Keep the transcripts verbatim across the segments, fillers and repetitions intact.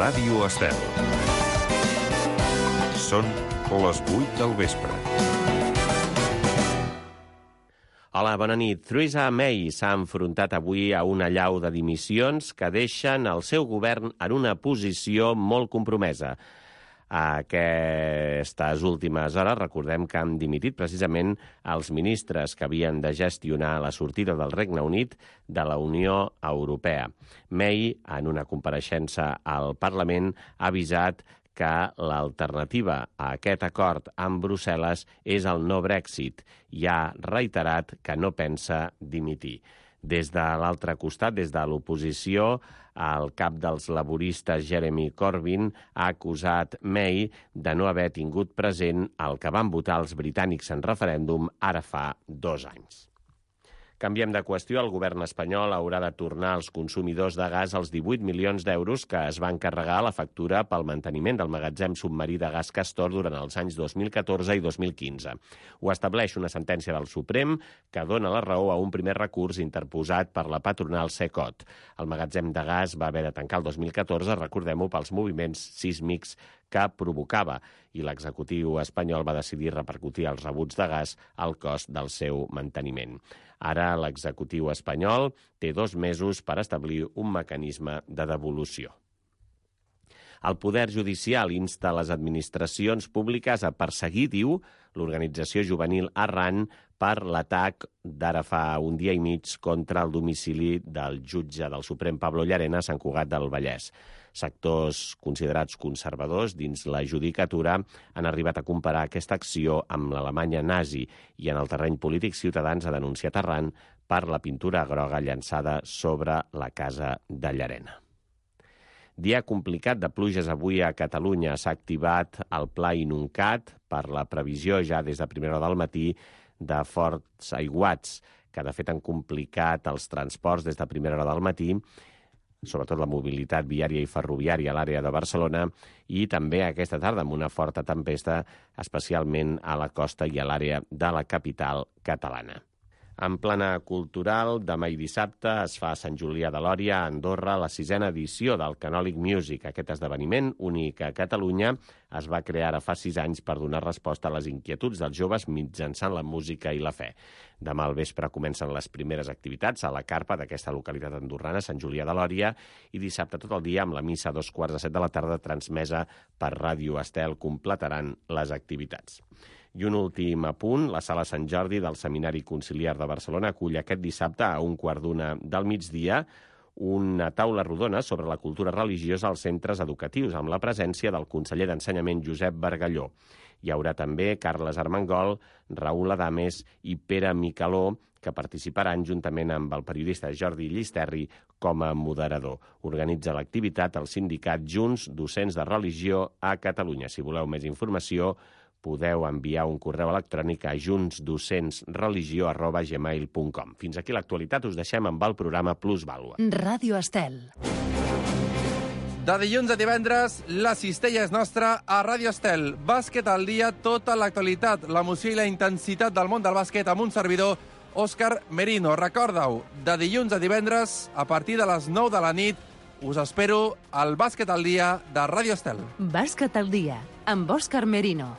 Ràdio Estel. Són les vuit del vespre. Hola, bona nit. Theresa May s'ha enfrontat avui a una allau de dimissions que deixen el seu govern en una posició molt compromesa. Aquestes últimes hores recordem que han dimitit precisament els ministres que havien de gestionar la sortida del Regne Unit de la Unió Europea. May, en una compareixença al Parlament, ha avisat que l'alternativa a aquest acord amb Brussel·les és el no Brexit i ha reiterat que no pensa dimitir. Des de l'altre costat, des de l'oposició, el cap dels laboristes, Jeremy Corbyn, ha acusat May de no haver tingut present el que van votar els britànics en referèndum ara fa dos anys. Canviem de qüestió. El govern espanyol haurà de tornar als consumidors de gas els divuit milions d'euros que es van carregar a la factura pel manteniment del magatzem submarí de gas Castor durant els anys dos mil catorze i dos mil quinze. Ho estableix una sentència del Suprem que dona la raó a un primer recurs interposat per la patronal Secot. El magatzem de gas va haver de tancar el dos mil catorze, recordem-ho, pels moviments sísmics que provocava, i l'executiu espanyol va decidir repercutir els rebuts de gas al cost del seu manteniment. Ara l'executiu espanyol té dos mesos per establir un mecanisme de devolució. El Poder Judicial insta les administracions públiques a perseguir, diu, l'organització juvenil Arran per l'atac d'ara fa un dia i mig contra el domicili del jutge del Suprem Pablo Llarena a Sant Cugat del Vallès. Sectors considerats conservadors dins la judicatura han arribat a comparar aquesta acció amb l'Alemanya nazi i en el terreny polític Ciutadans ha denunciat Arran per la pintura groga llançada sobre la casa de Llarena. Dia complicat de pluges avui a Catalunya. S'ha activat el pla Inuncat per la previsió ja des de primera hora del matí de forts aiguats, que de fet han complicat els transports des de primera hora del matí, sobretot la mobilitat viària i ferroviària a l'àrea de Barcelona, i també aquesta tarda amb una forta tempesta, especialment a la costa i a l'àrea de la capital catalana. En plana cultural, demà i dissabte es fa a Sant Julià de Lòria, a Andorra, la sisena edició del Canòlic Music. Aquest esdeveniment, únic a Catalunya, es va crear ara fa sis anys per donar resposta a les inquietuds dels joves mitjançant la música i la fe. Demà al vespre comencen les primeres activitats a la carpa d'aquesta localitat andorrana, Sant Julià de Lòria, i dissabte tot el dia amb la missa a dos quarts de set de la tarda transmesa per Ràdio Estel completaran les activitats. I un últim apunt, la Sala Sant Jordi del Seminari Conciliar de Barcelona acull aquest dissabte a un quart d'una del migdia una taula rodona sobre la cultura religiosa als centres educatius, amb la presència del conseller d'Ensenyament Josep Bargalló. Hi haurà també Carles Armengol, Raül Adames i Pere Micaló, que participaran juntament amb el periodista Jordi Llisterri com a moderador. Organitza l'activitat el sindicat Junts Docents de Religió a Catalunya. Si voleu més informació, podeu enviar un correu electrònic a juntsdocentsreligio arroba gmail punt com. Fins aquí l'actualitat, us deixem amb el programa Plus Vàlua. Ràdio Estel. De dilluns a divendres, la cistella és nostra a Ràdio Estel. Bàsquet al dia, tota l'actualitat, l'emoció i la intensitat del món del bàsquet amb un servidor, Òscar Merino. Recorda-ho, de dilluns a divendres, a partir de les nou de la nit, us espero al Bàsquet al dia de Ràdio Estel. Bàsquet al dia, amb Òscar Merino.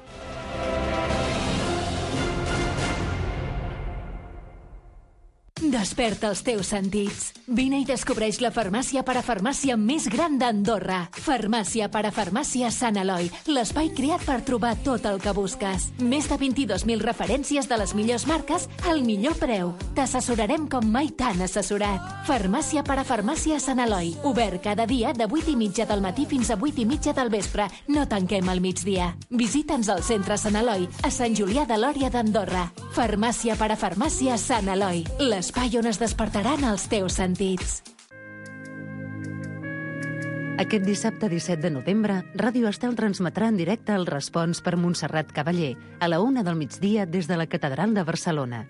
Desperta els teus sentits. Vine i descobreix la farmàcia parafarmàcia més gran d'Andorra. Farmàcia parafarmàcia Sant Eloi, l'espai creat per trobar tot el que busques. Més de vint-i-dos mil referències de les millors marques al millor preu. T'assessorarem com mai t'han assessorat. Farmàcia parafarmàcia Sant Eloi, obert cada dia de vuit i mitja del matí fins a vuit i mitja del vespre. No tanquem al migdia. Visita'ns al centre Sant Eloi, a Sant Julià de Lòria d'Andorra. Farmàcia parafarmàcia Sant Eloi, l'espai on es despertaran els teus sentits. Aquest dissabte disset de novembre, Ràdio Estel transmetrà en directe el Respons per Montserrat Cavaller a la una del migdia des de la Catedral de Barcelona.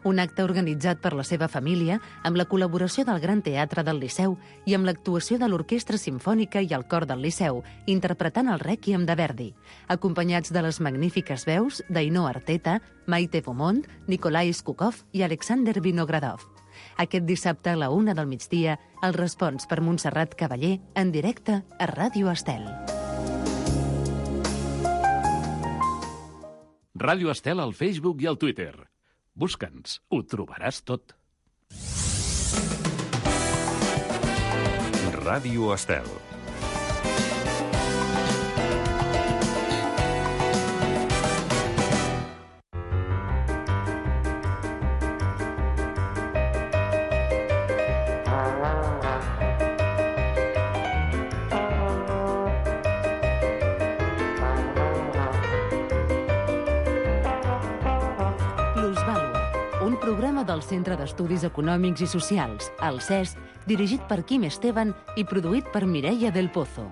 Un acte organitzat per la seva família amb la col·laboració del Gran Teatre del Liceu i amb l'actuació de l'Orquestra Simfònica i el Cor del Liceu, interpretant el Rèquiem de Verdi, acompanyats de les magnífiques veus d'Ainhoa Arteta, Maite Beaumont, Nikolai Skukov i Alexander Vinogradov. Aquest dissabte a la una del migdia, el respons per Montserrat Cavaller en directe a Ràdio Estel. Ràdio Estel al Facebook i al Twitter. Busca'ns, ho trobaràs tot. Ràdio Estel. Del Centre d'Estudis Econòmics i Socials, el C E S, dirigit per Quim Esteban i produït per Mireia del Pozo.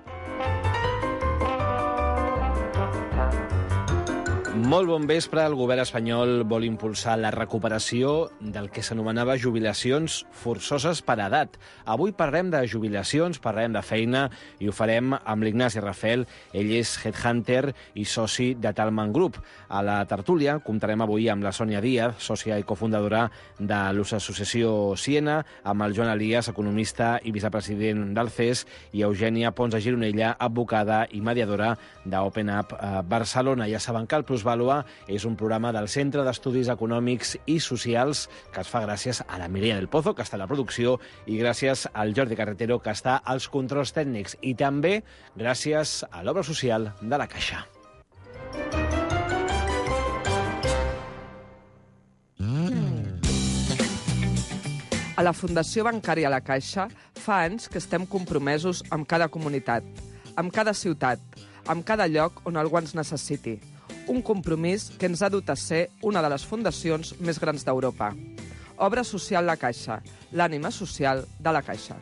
Molt bon vespre. El govern espanyol vol impulsar la recuperació del que s'anomenava jubilacions forçoses per edat. Avui parlem de jubilacions, parlem de feina, i ho farem amb l'Ignasi Rafel. Ell és headhunter i soci de Talman Group. A la tertúlia comptarem avui amb la Sònia Díaz, sòcia i cofundadora de l'Associació Siena, amb el Joan Elias, economista i vicepresident del C E S, i Eugènia Pons de Gironella, advocada i mediadora d'Open Up Barcelona. Ja saben que el Plusvalua és un programa del Centre d'Estudis Econòmics i Socials que es fa gràcies a la Mireia del Pozo, que està a la producció, i gràcies al Jordi Carretero, que està als controls tècnics, i també gràcies a l'obra social de la Caixa. A la Fundació Bancària La Caixa fa anys que estem compromesos amb cada comunitat, amb cada ciutat, amb cada lloc on algú ens necessiti. Un compromís que ens ha dut a ser una de les fundacions més grans d'Europa. Obra social La Caixa, l'ànima social de la Caixa.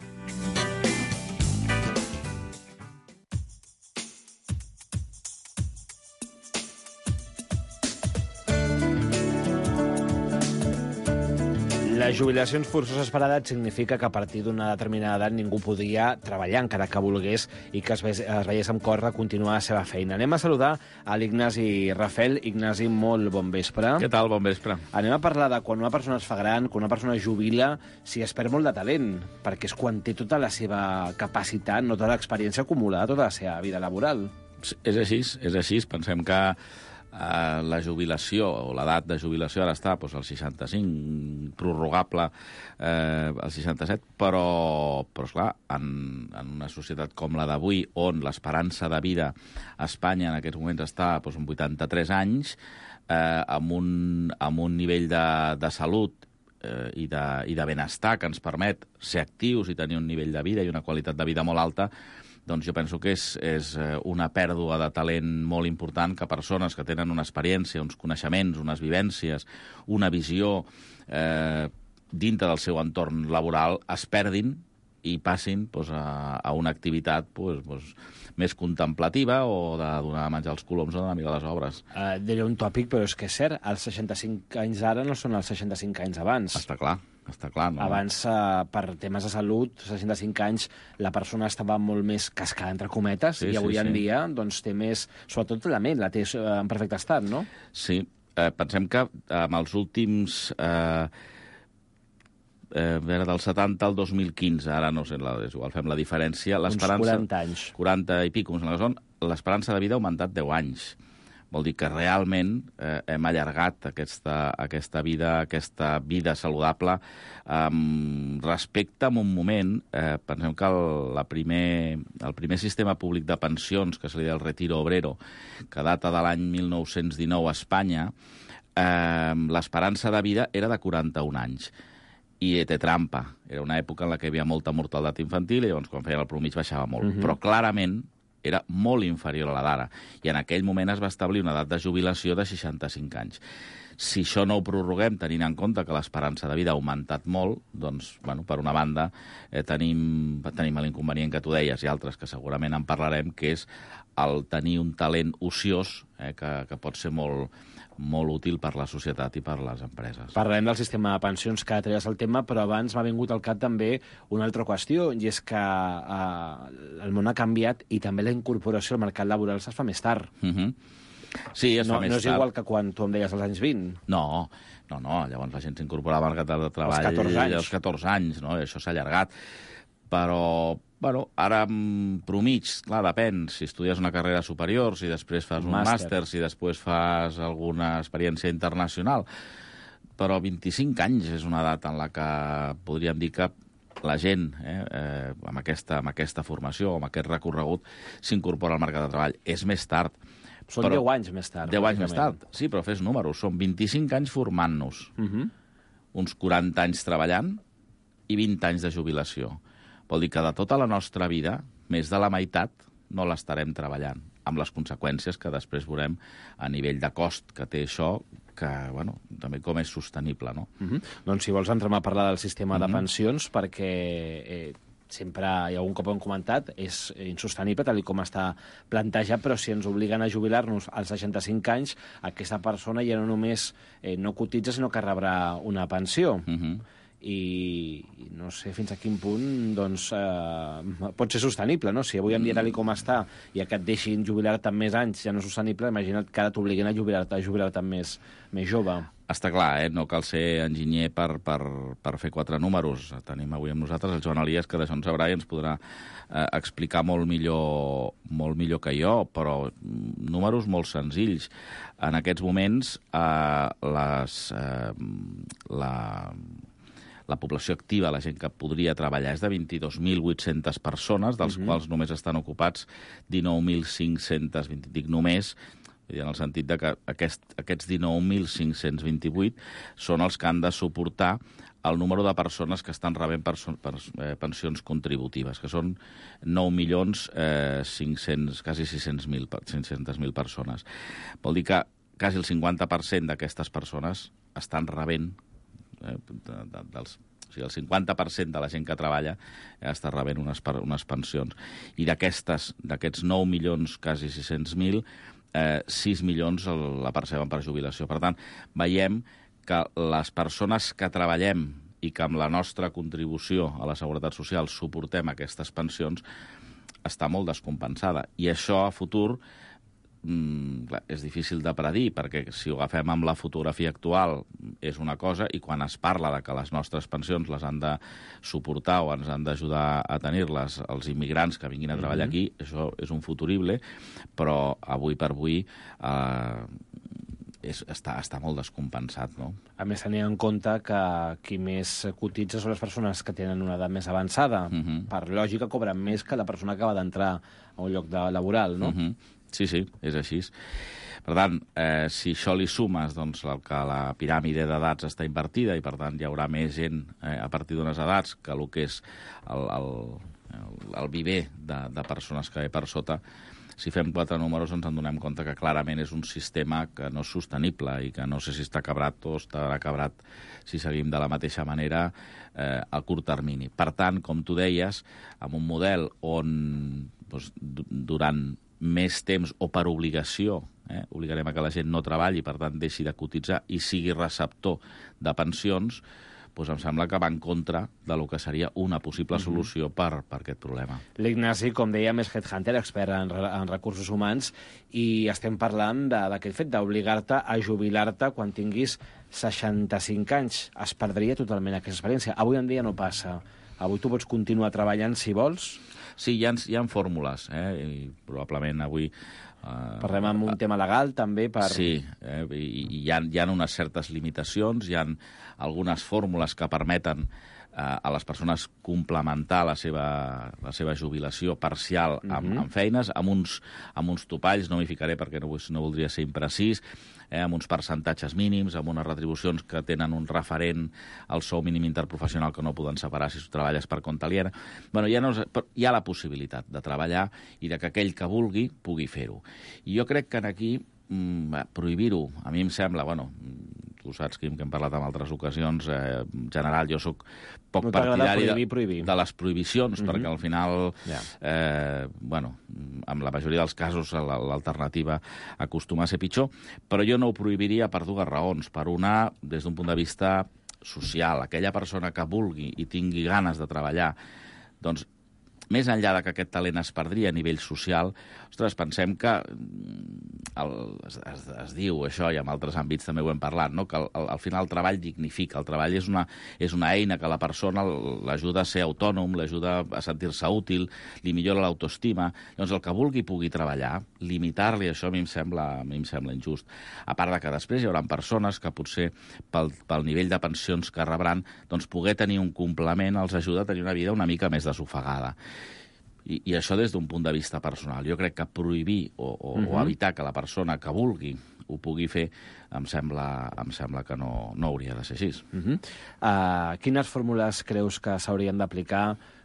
Les jubilacions forçoses per edat significa que a partir d'una determinada edat ningú podia treballar encara que volgués i que es veiés amb cor a continuar la seva feina. Anem a saludar a l'Ignasi Rafel. Ignasi, molt bon vespre. Què tal? Bon vespre. Anem a parlar de quan una persona es fa gran, quan una persona jubila, si es perd molt de talent, perquè és quan té tota la seva capacitat, no tota l'experiència acumulada, tota la seva vida laboral. És així, és així. Pensem que Uh, la jubilació, o l'edat de jubilació ara està doncs, als seixanta-cinc, prorrogable eh, als seixanta-set, però, però esclar, en, en una societat com la d'avui, on l'esperança de vida a Espanya en aquests moments està doncs, en vuitanta-tres anys, eh, amb, un, amb un nivell de, de salut eh, i, de, i de benestar que ens permet ser actius i tenir un nivell de vida i una qualitat de vida molt alta, doncs jo penso que és, és una pèrdua de talent molt important que persones que tenen una experiència, uns coneixements, unes vivències, una visió eh, dintre del seu entorn laboral es perdin i passin doncs, a, a una activitat doncs, doncs, més contemplativa o de donar menjar als coloms o d'anar a mirar les obres. Uh, diré un tòpic, però és que és cert, els seixanta-cinc anys ara no són els seixanta-cinc anys abans. Està clar. Està clar, no? Abans, eh, per temes de salut, seixanta-cinc anys, la persona estava molt més cascada, entre cometes, sí, i avui sí, en sí. dia doncs, té més... Sobretot la ment la té en perfecte estat, no? Sí. Eh, pensem que amb els últims... Eh, eh, del setanta al dos mil quinze, ara no sé, la, és igual, fem la diferència... Uns quaranta anys. quaranta i pico, l'esperança de vida ha augmentat deu anys. Vol dir que realment eh, hem allargat aquesta, aquesta vida, aquesta vida saludable. Um, respecte a un moment, eh, pensem que el, la primer, el primer sistema públic de pensions, que se li deia el Retiro Obrero, que data de l'any mil nou-cents dinou a Espanya, eh, l'esperança de vida era de quaranta-un anys. I té trampa. Era una època en la que hi havia molta mortalitat infantil i llavors quan feien el promig baixava molt. Uh-huh. Però clarament era molt inferior a la d'ara. I en aquell moment es va establir una edat de jubilació de seixanta-cinc anys. Si això no ho prorroguem, tenint en compte que l'esperança de vida ha augmentat molt, doncs, bueno, per una banda, eh, tenim, tenim l'inconvenient que tu deies i altres que segurament en parlarem, que és el tenir un talent ociós eh, que, que pot ser molt, molt útil per la societat i per les empreses. Parlarem del sistema de pensions que treies el tema, però abans m'ha vingut al cap també una altra qüestió, i és que eh, el món ha canviat i també la incorporació al mercat laboral es fa més tard. Uh-huh. Sí, es no, fa més no és tard. igual que quan tu em deies als anys vint. No, no, no. Llavors la gent s'incorporava al mercat de treball Als catorze anys. als catorze anys, no? I això s'ha allargat. Però, bueno, ara mm, promig, clar, depèn. Si estudies una carrera superior, si després fas un, un màster, màster, si després fas alguna experiència internacional. Però vint-i-cinc anys és una edat en la que podríem dir que la gent eh, eh, amb, aquesta, amb aquesta formació, amb aquest recorregut, s'incorpora al mercat de treball. És més tard. Són deu anys més tard. deu anys més tard, sí, però fes números. Són vint-i-cinc anys formant-nos, Uh -huh. uns quaranta anys treballant i vint anys de jubilació. Vol dir que de tota la nostra vida, més de la meitat no l'estarem treballant, amb les conseqüències que després veurem a nivell de cost que té això, que, bueno, també com és sostenible, no? Uh -huh. Doncs si vols entrem a parlar del sistema Uh -huh. de pensions, perquè eh, sempre, i algun cop ho hem comentat, és insostenible tal com està plantejat, però si ens obliguen a jubilar-nos als seixanta-cinc anys, aquesta persona ja no només eh, no cotitza, sinó que rebrà una pensió. Uh -huh. I no sé fins a quin punt doncs, eh, pot ser sostenible, no? Si avui en dia tal com està i que et deixin jubilar-te amb més anys ja no és sostenible, imagina't que ara t'obliguin a jubilar-te a jubilar-te més, més jove. Està clar, eh? No cal ser enginyer per, per, per fer quatre números. Tenim avui amb nosaltres el Joan Elias, que d'això en sabrà i ens podrà eh, explicar molt millor, molt millor que jo, però números molt senzills. En aquests moments, eh, les, eh, la... la població activa, la gent que podria treballar, és de vint-i-dos mil vuit-centes persones, dels uh-huh. quals només estan ocupats dinou mil cinc-cents vint, dic només, en el sentit de que aquest, aquests dinou mil cinc-cents vint-i-vuit són els que han de suportar el número de persones que estan rebent perso- per, eh, pensions contributives, que són nou milions cinc-cents, quasi sis-cents mil persones. Vol dir que quasi el cinquanta per cent d'aquestes persones estan rebent Eh, de, de, dels, o sigui, el cinquanta per cent de la gent que treballa eh, està rebent unes, unes pensions. I d'aquestes, d'aquests nou milions, quasi sis-cents mil, eh, sis milions el, la perceben per jubilació. Per tant, veiem que les persones que treballem i que amb la nostra contribució a la Seguretat Social suportem aquestes pensions està molt descompensada. I això a futur Mm, clar, és difícil de predir, perquè si ho agafem amb la fotografia actual és una cosa, i quan es parla de que les nostres pensions les han de suportar o ens han d'ajudar a tenir-les els immigrants que vinguin a treballar aquí, això és un futurible, però avui per avui eh, és, està, està molt descompensat, no? A més, tenint en compte que qui més cotitza són les persones que tenen una edat més avançada. Uh-huh. Per lògica, cobren més que la persona que va d'entrar a un lloc de laboral, no? Uh-huh. Sí, sí, és així. Per tant, eh, si això li sumes doncs, el que la piràmide d'edats està invertida i, per tant, hi haurà més gent eh, a partir d'unes edats que el que és el, el, el, el viver de, de persones que ve per sota, si fem quatre números ens en donem compte que clarament és un sistema que no és sostenible i que no sé si està quebrat o estarà quebrat si seguim de la mateixa manera eh, a curt termini. Per tant, com tu deies, amb un model on doncs, durant més temps o per obligació, eh, obligarem a que la gent no treballi, per tant deixi de cotitzar i sigui receptor de pensions, doncs em sembla que va en contra de lo que seria una possible solució per, per aquest problema. L'Ignasi, com dèiem, és headhunter, expert en, en recursos humans, i estem parlant d'aquest fet d'obligar-te a jubilar-te quan tinguis seixanta-cinc anys. Es perdria totalment aquesta experiència. Avui en dia no passa. Avui tu pots continuar treballant si vols. Sí, hi ha, hi ha fórmules, eh? I probablement avui... Uh, Parlem amb un tema legal, també, per... Sí, eh? I, i hi, ha, hi ha unes certes limitacions, hi ha algunes fórmules que permeten uh, a les persones complementar la seva, la seva jubilació parcial amb, uh-huh. amb feines, amb uns, amb uns topalls, no m'hi ficaré perquè no, no voldria ser imprecís, eh, amb uns percentatges mínims, amb unes retribucions que tenen un referent al sou mínim interprofessional que no poden separar si treballes per compte aliena. Bueno, hi ha, no, hi ha la possibilitat de treballar i de que aquell que vulgui pugui fer-ho. I jo crec que aquí mm, prohibir-ho, a mi em sembla, bueno, tu saps, Quim, que hem parlat en altres ocasions, eh, en general jo sóc poc no partidari prohibir, prohibir. De, de les prohibicions, uh-huh. perquè al final, yeah. eh, bueno, en la majoria dels casos l'alternativa acostuma a ser pitjor, però jo no ho prohibiria per dues raons. Per una, des d'un punt de vista social, aquella persona que vulgui i tingui ganes de treballar, doncs més enllà de que aquest talent es perdria a nivell social, ostres, pensem que el, es, es, es diu això, i en altres àmbits també ho hem parlat, no? Que al, al final el treball dignifica, el treball és una, és una eina que la persona l'ajuda a ser autònom, l'ajuda a sentir-se útil, li millora l'autoestima. Llavors, el que vulgui pugui treballar, limitar-li això a mi em sembla, a mi em sembla injust. A part de que després hi haurà persones que potser pel, pel nivell de pensions que rebran, doncs poder tenir un complement els ajuda a tenir una vida una mica més desofegada. I, i això des d'un punt de vista personal. Jo crec que prohibir o, o, uh-huh. o evitar que la persona que vulgui ho pugui fer, em sembla, em sembla que no, no hauria de ser així. Uh-huh. uh, quines fórmules creus que s'haurien d'aplicar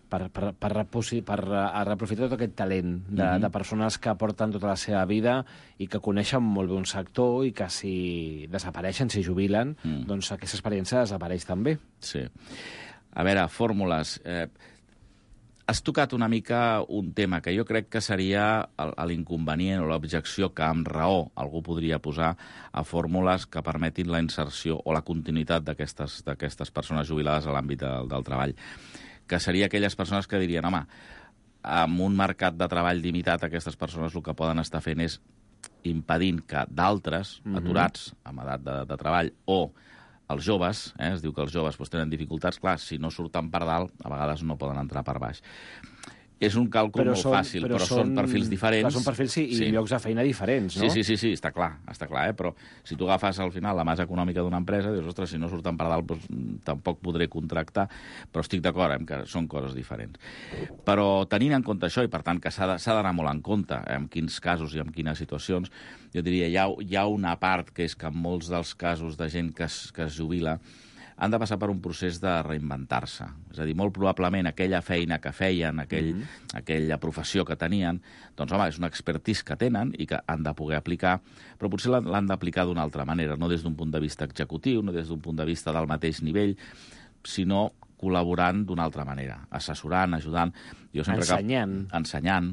per, per, per, per reaprofitar tot aquest talent de, uh-huh. de persones que porten tota la seva vida i que coneixen molt bé un sector i que si desapareixen, si jubilen, uh-huh. doncs aquesta experiència desapareix també? Sí. A veure, fórmules... Eh, Has tocat una mica un tema que jo crec que seria l'inconvenient o l'objecció que amb raó algú podria posar a fórmules que permetin la inserció o la continuïtat d'aquestes d'aquestes persones jubilades a l'àmbit del, del treball. Que seria aquelles persones que dirien, home, amb un mercat de treball limitat, aquestes persones el que poden estar fent és impedint que d'altres, mm-hmm. aturats amb edat de, de treball, o els joves, eh, es diu que els joves doncs, tenen dificultats, clar, si no surten per dalt, a vegades no poden entrar per baix. És un càlcul però molt són, fàcil, però, però són, són perfils diferents. Clar, són perfils sí, i sí. llocs de feina diferents, no? Sí, sí, sí, sí, està clar, està clar, eh? Però si tu agafes al final la massa econòmica d'una empresa, dius, ostres, si no surten per dalt, doncs, tampoc podré contractar, però estic d'acord eh, que són coses diferents. Però tenint en compte això, i per tant que s'ha d'anar molt en compte eh, en quins casos i en quines situacions, jo diria, hi ha, hi ha una part que és que en molts dels casos de gent que es, que es jubila han de passar per un procés de reinventar-se. És a dir, molt probablement aquella feina que feien, aquell, mm-hmm. aquella professió que tenien, doncs, home, és una expertise que tenen i que han de poder aplicar, però potser l'han d'aplicar d'una altra manera, no des d'un punt de vista executiu, no des d'un punt de vista del mateix nivell, sinó col·laborant d'una altra manera, assessorant, ajudant... Jo sempre ensenyant. Que, ensenyant,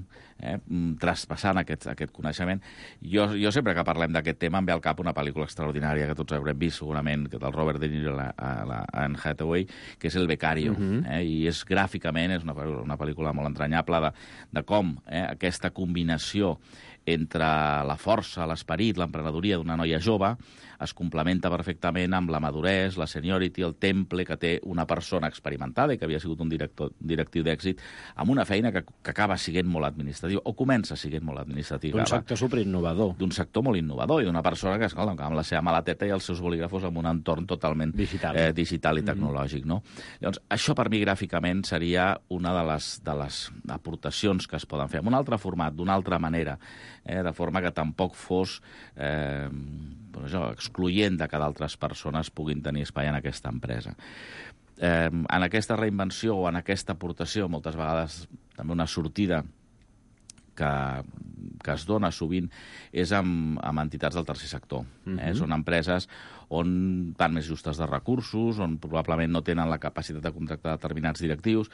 eh, traspassant aquest, aquest coneixement. Jo, jo sempre que parlem d'aquest tema em ve al cap una pel·lícula extraordinària que tots haurem vist segurament, que del Robert De Niro i la, la Anne Hathaway, que és El Becario. Uh-huh. eh, I és gràficament és una, una pel·lícula molt entranyable de, de com eh, aquesta combinació entre la força, l'esperit, l'emprenedoria d'una noia jove es complementa perfectament amb la maduresa, la seniority, el temple que té una persona experimentada i que havia sigut un director, directiu d'èxit amb una feina que, que acaba sent molt administrativa, o comença sent molt administrativa. D'un sector superinnovador. D'un sector molt innovador i d'una persona que, escolta, amb la seva maleteta i els seus bolígrafos en un entorn totalment digital, eh, digital i tecnològic. Mm-hmm. No? Llavors, això per mi gràficament seria una de les, de les aportacions que es poden fer, en un altre format, d'una altra manera, eh, de forma que tampoc fos eh, doncs això, excloent de que d'altres persones puguin tenir espai en aquesta empresa. Eh, en aquesta reinvenció o en aquesta aportació, moltes vegades també una sortida que, que es dona sovint és amb, amb entitats del tercer sector. Mm-hmm. eh? Són empreses on van més justes de recursos, on probablement no tenen la capacitat de contractar determinats directius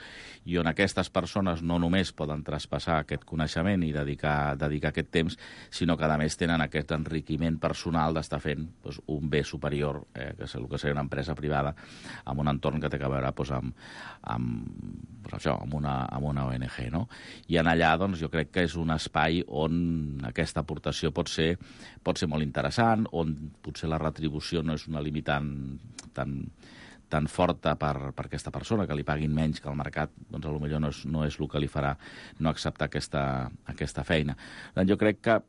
i on aquestes persones no només poden traspassar aquest coneixement i dedicar, dedicar aquest temps, sinó que a més tenen aquest enriquiment personal d'estar fent doncs, un bé superior, eh, que és el que seria una empresa privada, amb un entorn que té a veure doncs, amb, amb, doncs, això, amb, una, amb una O N G. No? I en allà doncs, jo crec que és un espai on aquesta aportació pot ser, pot ser molt interessant, on potser la retribució no és una limitant tan, tan forta per, per aquesta persona, que li paguin menys que el mercat, doncs potser no és, no és el que li farà no acceptar aquesta, aquesta feina. Doncs jo crec que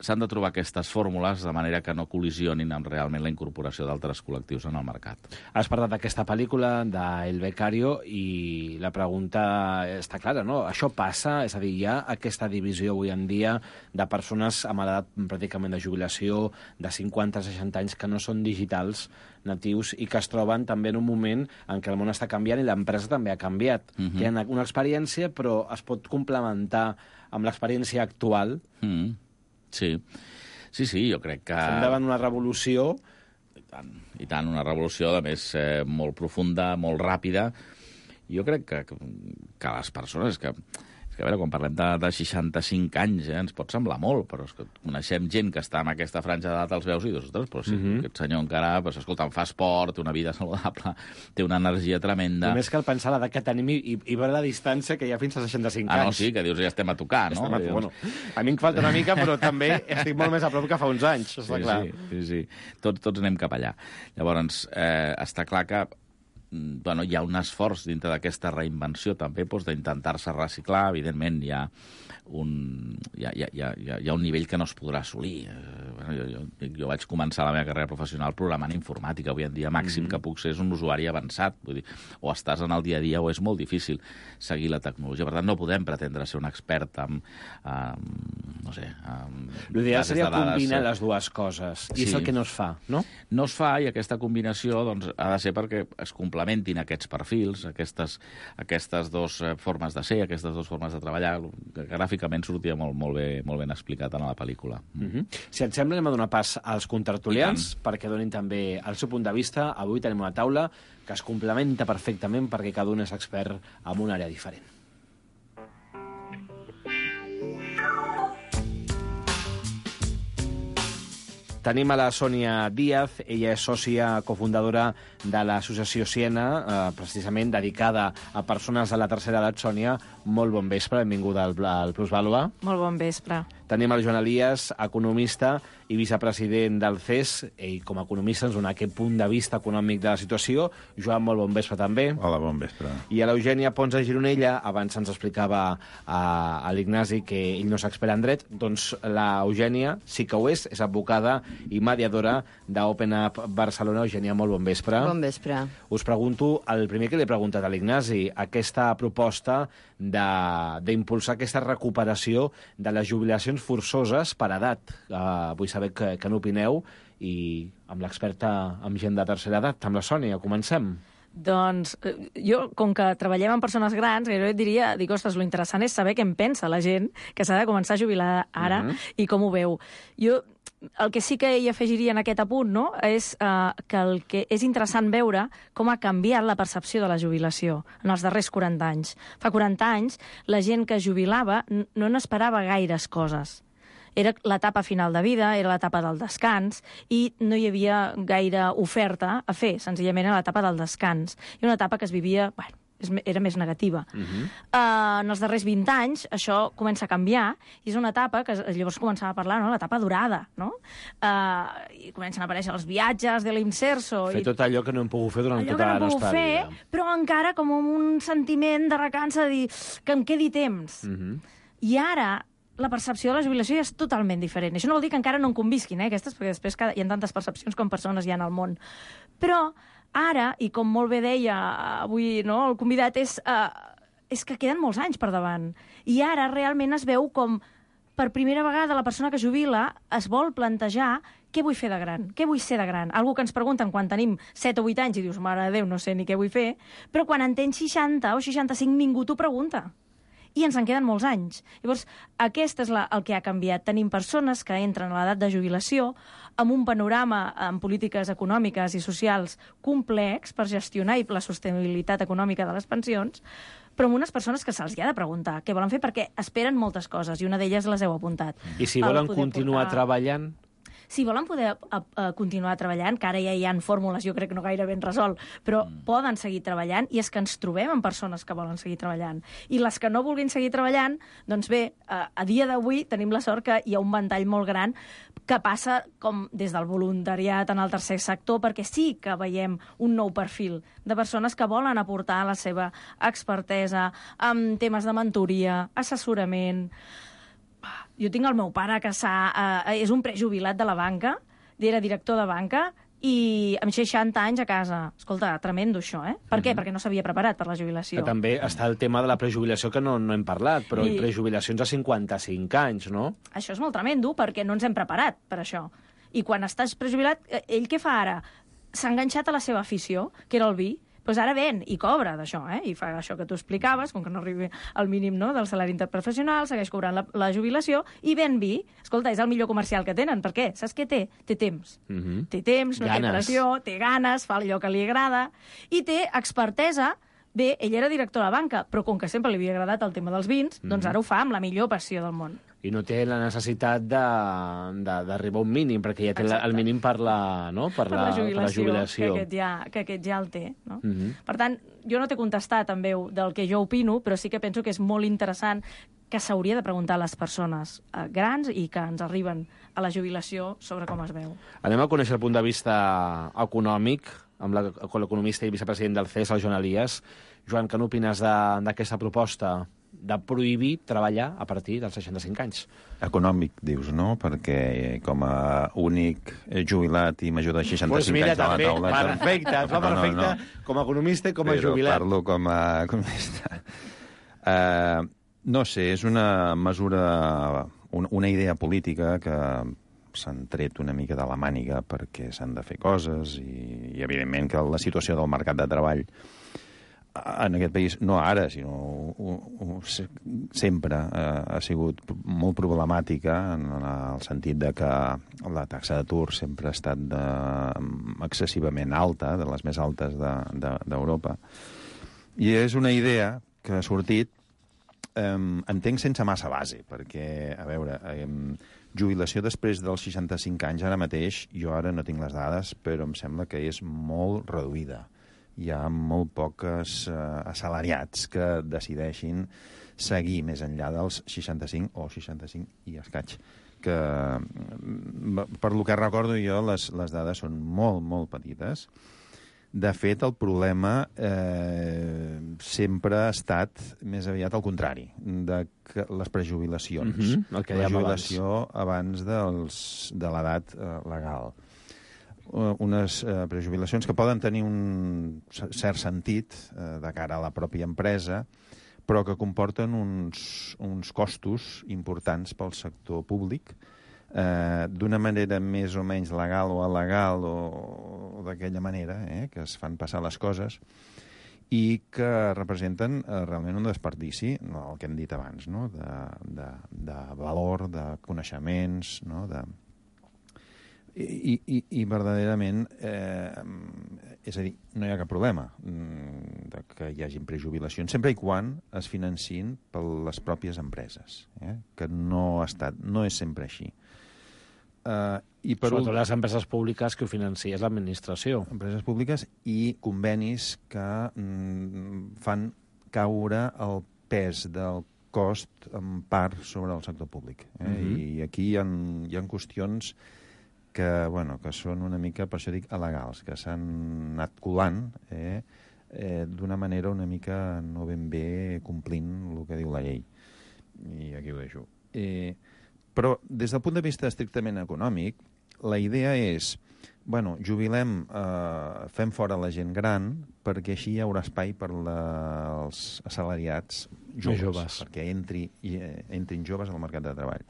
s'han de trobar aquestes fórmules de manera que no col·lisionin amb realment la incorporació d'altres col·lectius en el mercat. Has parlat d'aquesta pel·lícula, d'El Becario, i la pregunta està clara, no? Això passa, és a dir, hi ha aquesta divisió avui en dia de persones amb edat pràcticament de jubilació, de cinquanta a seixanta anys, que no són digitals, natius, i que es troben també en un moment en què el món està canviant i l'empresa també ha canviat. Mm-hmm. Tenen una experiència, però es pot complementar amb l'experiència actual. Mm. Sí. sí, sí, jo crec que... Estem davant una revolució... I tant, i tant, una revolució, a més, eh, molt profunda, molt ràpida. Jo crec que, que, que les persones... que És que, a veure, quan parlem de, de seixanta-cinc anys, eh, ens pot semblar molt, però és que coneixem gent que està en aquesta franja d'edat, els veus i dius, ostres, però si Mhm. aquest senyor encara, pues, escolta, fa esport, té una vida saludable, té una energia tremenda. Només cal pensar l'edat que tenim i, i, i veure la distància que hi ha fins a seixanta-cinc Ah, no, anys. sí, que dius, ja estem a tocar, no? Estem a, Dius- bueno, a mi em falta una mica, però també estic molt més a prop que fa uns anys, està Sí, clar. sí, sí, sí. Tots, tots anem cap allà. Llavors, eh, està clar que mm, bueno, hi ha un esforç dintre d'aquesta reinvenció també doncs, d'intentar-se reciclar. Evidentment, hi ha un, hi ha, hi ha, hi ha, hi ha un nivell que no es podrà assolir. Eh, bueno, jo, jo, jo vaig començar la meva carrera professional programant informàtica. Avui en dia màxim mm -hmm. que puc ser és un usuari avançat. Vull dir, o estàs en el dia a dia o és molt difícil seguir la tecnologia. Per tant, no podem pretendre ser un expert en, en no sé... L'ideal seria combinar les dues coses, i Sí. és el que no es fa, no? No es fa, i aquesta combinació doncs, ha de ser perquè es complementin aquests perfils, aquestes, aquestes dues eh, formes de ser, aquestes dues formes de treballar, que gràficament sortia molt, molt, bé, molt ben explicat en la pel·lícula. Mm -hmm. Si et sembla, anem a donar pas als contertulians perquè donin també el seu punt de vista. Avui tenim una taula que es complementa perfectament perquè cada un és expert en una àrea diferent. Tenim a la Sònia Díaz, ella és sòcia cofundadora de l'associació Siena, eh, precisament dedicada a persones de la tercera edat. Sònia, molt bon vespre, benvinguda al, al Plusvàlua. Molt bon vespre. Tenim el Joan Elias, economista i vicepresident del C E S. Ell, com a economista, ens dona aquest punt de vista econòmic de la situació. Joan, molt bon vespre també. Hola, bon vespre. I a l'Eugènia Pons de Gironella, abans ens explicava a, a l'Ignasi que ell no s'expert en dret, doncs l'Eugènia sí que ho és, és advocada i mediadora d'Open Up Barcelona. Eugènia, molt bon vespre. Bon vespre. Us pregunto, el primer que li he preguntat a l'Ignasi, aquesta proposta d'impulsar aquesta recuperació de les jubilacions forçoses per edat. Uh, vull saber què, què n'opineu, i amb l'experta en gent de tercera edat, amb la Sònia, comencem. Doncs jo, com que treballem amb persones grans, jo et diria, dic, ostres, lo interessant és saber què en pensa la gent que s'ha de començar a jubilar ara uh -huh. i com ho veu. Jo el que sí que hi afegiria en aquest apunt, no?, és uh, que el que és interessant veure com ha canviat la percepció de la jubilació en els darrers quaranta anys. Fa quaranta anys, la gent que jubilava no n'esperava gaires coses. Era l'etapa final de vida, era l'etapa del descans, i no hi havia gaire oferta a fer, senzillament era l'etapa del descans. I una etapa que es vivia, bueno, era més negativa. Uh -huh. uh, en els darrers vint anys això comença a canviar, i és una etapa que llavors començava a parlar, no?, l'etapa dorada, no? Uh, I comencen a aparèixer els viatges de l'Inserso. Fer i... tot allò que no hem pogut fer durant allò tota la no nostra fer, vida. Però encara com un sentiment de recança de dir que em quedi temps. Uh -huh. I ara la percepció de la jubilació ja és totalment diferent. Això no vol dir que encara no en convisquin, eh, aquestes, perquè després hi ha tantes percepcions com persones hi ha al món. Però ara, i com molt bé deia avui, no, el convidat, és, uh, és que queden molts anys per davant. I ara realment es veu com per primera vegada la persona que jubila es vol plantejar què vull fer de gran, què vull ser de gran. Algú que ens pregunten quan tenim set o vuit anys i dius, mare de Déu, no sé ni què vull fer, però quan en tens seixanta o seixanta-cinc ningú t'ho pregunta. I ens en queden molts anys. Llavors, aquest és la, el que ha canviat. Tenim persones que entren a l'edat de jubilació amb un panorama en polítiques econòmiques i socials complex per gestionar la sostenibilitat econòmica de les pensions, però amb unes persones que se'ls ha de preguntar què volen fer, perquè esperen moltes coses, i una d'elles les heu apuntat. I si volen continuar portar... treballant? Si volen poder a, a, continuar treballant, que ara ja hi ha fórmules, jo crec que no gaire ben resolt, però mm. poden seguir treballant, i és que ens trobem amb persones que volen seguir treballant. I les que no vulguin seguir treballant, doncs bé, a, a dia d'avui tenim la sort que hi ha un ventall molt gran que passa com des del voluntariat en el tercer sector, perquè sí que veiem un nou perfil de persones que volen aportar la seva expertesa en temes de mentoria, assessorament. Jo tinc el meu pare que s'ha, eh, és un prejubilat de la banca, era director de banca, i amb seixanta anys a casa. Escolta, tremendo això, eh? Per què? Mm-hmm. Perquè no s'havia preparat per la jubilació. Que també està el tema de la prejubilació, que no, no hem parlat, però I... prejubilacions a cinquanta-cinc anys, no? Això és molt tremendo, perquè no ens hem preparat per això. I quan estàs prejubilat, ell què fa ara? S'ha enganxat a la seva afició, que era el vi, doncs ara ven i cobra d'això, eh? I fa això que tu explicaves, com que no arribi al mínim, no?, del salari interprofessional, segueix cobrant la, la jubilació i ven vi. Escolta, és el millor comercial que tenen. Per què? Saps què té? Té temps. Mm-hmm. Té temps, no ganes. Té pressió, té ganes, fa allò que li agrada, i té expertesa Bé, ell era director de la banca, però com que sempre li havia agradat el tema dels vins, Mhm. doncs ara ho fa amb la millor passió del món. I no té la necessitat de- de- d'arribar a un mínim, perquè ja té la, Exacte. el mínim per la, no? per Per la, la jubilació, per la jubilació. Que, aquest ja, que aquest ja el té. No? Mhm. Per tant, jo no t'he contestat en veu del que jo opino, però sí que penso que és molt interessant que s'hauria de preguntar a les persones eh, grans i que ens arriben a la jubilació sobre com es veu. Anem a conèixer el punt de vista econòmic amb la- amb l'economista i vicepresident del C E S, el Joan Elias. Joan, què n'opines de- d'aquesta proposta de prohibir treballar a partir dels seixanta-cinc anys? Econòmic, dius, no? Perquè com a únic jubilat i major de seixanta-cinc Pues mira, anys a la també, taula... perfecte, es va No, no, perfecte no. com a economista i com a Però jubilat. parlo com a economista. Uh, no sé, és una mesura, una, una idea política que s'han tret una mica de la màniga perquè s'han de fer coses i, i evidentment que la situació del mercat de treball en aquest país, no ara, sinó uh, uh, sempre uh, ha sigut molt problemàtica en el sentit de que la taxa d'atur sempre ha estat de, excessivament alta, de les més altes d'Europa. De, I és una idea que ha sortit, eh, entenc, sense massa base, perquè, a veure, eh, jubilació després dels seixanta-cinc anys, ara mateix, jo ara no tinc les dades, però em sembla que és molt reduïda. Hi ha molt poques eh, assalariats que decideixin seguir més enllà dels seixanta-cinc o seixanta-cinc i escaig. Que, per lo que recordo jo, les, les dades són molt, molt petites. De fet, el problema eh, sempre ha estat més aviat al contrari, de que les prejubilacions. Mm-hmm, el que la dèiem jubilació abans, abans dels, de l'edat eh, legal. Unes eh, prejubilacions que poden tenir un cert sentit eh, de cara a la pròpia empresa, però que comporten uns, uns costos importants pel sector públic, eh, d'una manera més o menys legal o alegal o, o d'aquella manera, eh, que es fan passar les coses, i que representen eh, realment un desperdici, no, el que hem dit abans, no? de, de, de valor, de coneixements, no? de... I, i, i verdaderament, eh, és a dir, no hi ha cap problema de que hi hagi prejubilacions, sempre i quan es financin per les pròpies empreses, eh? que no ha estat, no és sempre així. Uh, i per Sobretot les empreses públiques que ho financia és l'administració. Empreses públiques i convenis que mm, fan caure el pes del cost en part sobre el sector públic. Eh? Mm-hmm. I aquí hi ha, hi ha qüestions que, bueno, que són una mica, per això dic, alegals, que s'han anat colant eh, eh, d'una manera una mica no ben bé complint el que diu la llei. I aquí ho deixo. Eh, però, des del punt de vista estrictament econòmic, la idea és, bueno, jubilem, eh, fem fora la gent gran, perquè així hi haurà espai per la, els assalariats joves, joves. perquè entri, eh, entrin joves al mercat de treball.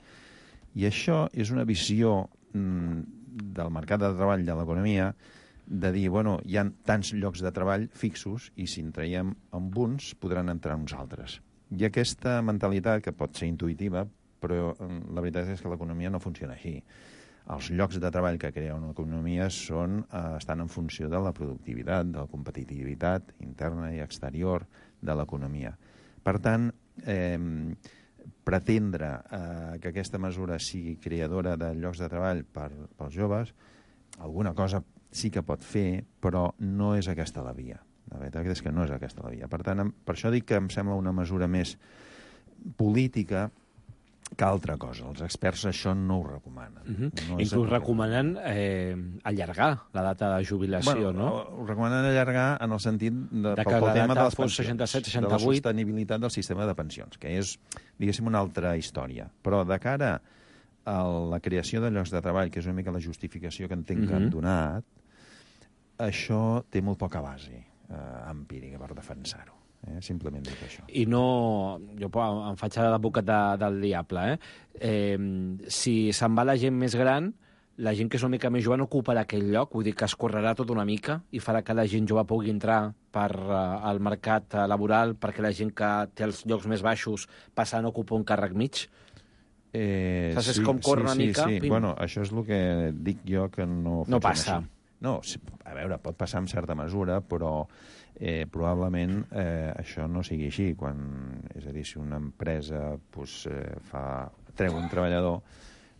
I això és una visió del mercat de treball de l'economia, de dir, bueno, hi ha tants llocs de treball fixos i si en traiem amb uns podran entrar uns altres. I aquesta mentalitat, que pot ser intuïtiva, però la veritat és que l'economia no funciona així. Els llocs de treball que crea una economia són, eh, estan en funció de la productivitat, de la competitivitat interna i exterior de l'economia. Per tant, eh, pretendre eh, que aquesta mesura sigui creadora de llocs de treball per, pels joves, alguna cosa sí que pot fer, però no és aquesta la via. La veritat és que no és aquesta la via. Per tant, per això dic que em sembla una mesura més política que altra cosa. Els experts això no ho recomanen. Uh-huh. No Inclús recomanen eh, allargar la data de jubilació, bueno, no? Ho recomanen allargar en el sentit de, de pel, que pel la tema de data les fos pensions, seixanta-set de seixanta-vuit. la sostenibilitat del sistema de pensions, que és, diguéssim, una altra història. Però de cara a la creació de llocs de treball, que és una mica la justificació que entenc que han donat, això té molt poca base eh, empírica per defensar-ho. Eh? Simplement dic això. I no... Jo em faig l'advocat de, del diable, eh? eh? Si se'n va la gent més gran, la gent que és una mica més jove no ocuparà aquell lloc, vull dir que es correrà tot una mica i farà que la gent jove pugui entrar per, uh, al mercat uh, laboral, perquè la gent que té els llocs més baixos passant a ocupar un càrrec mig. Eh, Saps sí, com corre sí, una sí, mica? Sí. Bueno, això és el que dic jo que no No passa. Així. No, a veure, pot passar en certa mesura, però Eh, probablement eh, això no sigui així. Quan, és a dir, si una empresa pues, eh, fa, treu un treballador,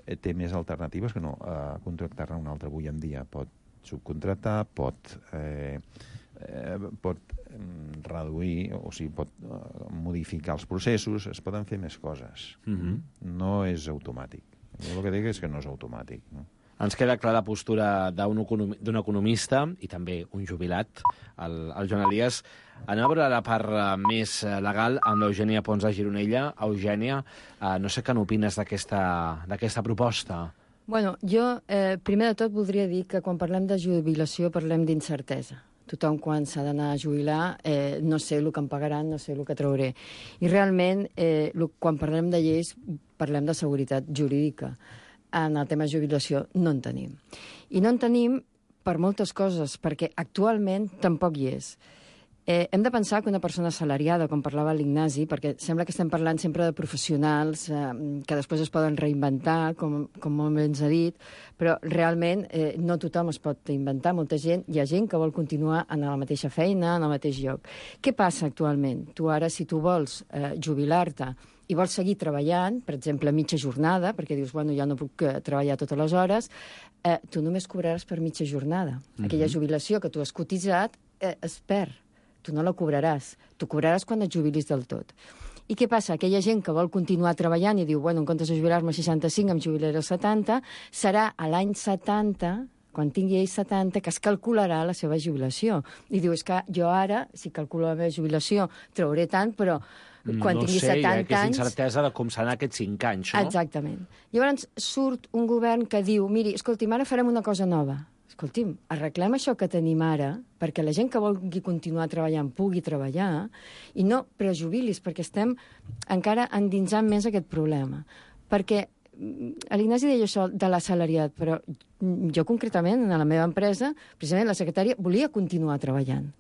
eh, té més alternatives que no eh, contractar-ne un altre avui en dia. Pot subcontratar, pot, eh, eh, pot reduir, o sigui, pot eh, modificar els processos, es poden fer més coses. Mm-hmm. No és automàtic. Jo el que dic és que no és automàtic, no? Ens queda clara la postura d'un economi d'un economista i també un jubilat, el, el Joan Elias. Anem a veure la part uh, més uh, legal amb l'Eugènia Pons de Gironella. Eugènia, uh, no sé què n'opines d'aquesta proposta. Bueno, jo, eh, primer de tot, voldria dir que quan parlem de jubilació parlem d'incertesa. Tothom, quan s'ha d'anar a jubilar, eh, no sé el que em pagaran, no sé el que trauré. I realment, eh, quan parlem de lleis, parlem de seguretat jurídica. En el tema de jubilació no en tenim. I no en tenim per moltes coses, perquè actualment tampoc hi és. Eh, hem de pensar que una persona assalariada, com parlava l'Ignasi, perquè sembla que estem parlant sempre de professionals eh, que després es poden reinventar, com, com molt bé ens ha dit, però realment eh, no tothom es pot inventar. Molta gent, hi ha gent que vol continuar en la mateixa feina, en el mateix lloc. Què passa actualment? Tu ara, si tu vols eh, jubilar-te i vols seguir treballant, per exemple, a mitja jornada, perquè dius, bueno, ja no puc eh, treballar totes les hores, eh, tu només cobraràs per mitja jornada. Mm-hmm. Aquella jubilació que tu has cotitzat eh, es perd. Tu no la cobraràs. Tu cobraràs quan et jubilis del tot. I què passa? Aquella gent que vol continuar treballant i diu, bueno, en comptes de jubilar-me a seixanta-cinc, em jubilaré als setanta, serà a l'any setanta, quan tingui ell setanta, que es calcularà la seva jubilació. I diu, és que jo ara, si calculo la meva jubilació, trauré tant, però quan no tingui sé, setanta anys... hi ha aquesta incertesa de com seran aquests cinc anys, no? Exactament. Llavors surt un govern que diu, miri, escolti'm, ara farem una cosa nova. Escolti'm, arreglem això que tenim ara perquè la gent que vulgui continuar treballant pugui treballar i no prejubilis, perquè estem encara endinsant més aquest problema. Perquè l'Ignasi deia això de l'assalariat, però jo concretament, en la meva empresa, precisament la secretària volia continuar treballant.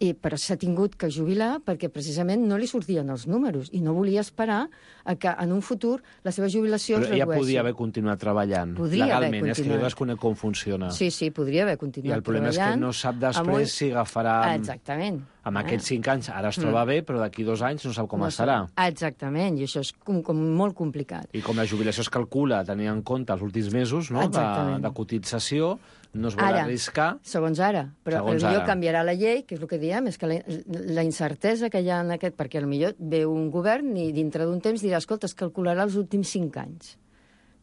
I, però s'ha tingut que jubilar perquè precisament no li sortien els números i no volia esperar a que en un futur la seva jubilació però es redueixi. Però ella podia haver continuat treballant podria legalment, haver és que jo desconec com funciona. Sí, sí, podria haver continuat treballant. I el problema és que no sap després un... si agafarà... Exactament. Amb ah. aquests cinc anys ara es troba mm. bé, però d'aquí dos anys no sap com no estarà. Sap. Exactament, i això és com, com molt complicat. I com la jubilació es calcula tenint en compte els últims mesos no? de, de cotització, no es vol ara, arriscar... Segons ara, però segons potser ara. canviarà la llei, que és el que diem, és que la, la incertesa que hi ha en aquest... Perquè potser ve un govern i dintre d'un temps dirà, escolta, es calcularà els últims cinc anys.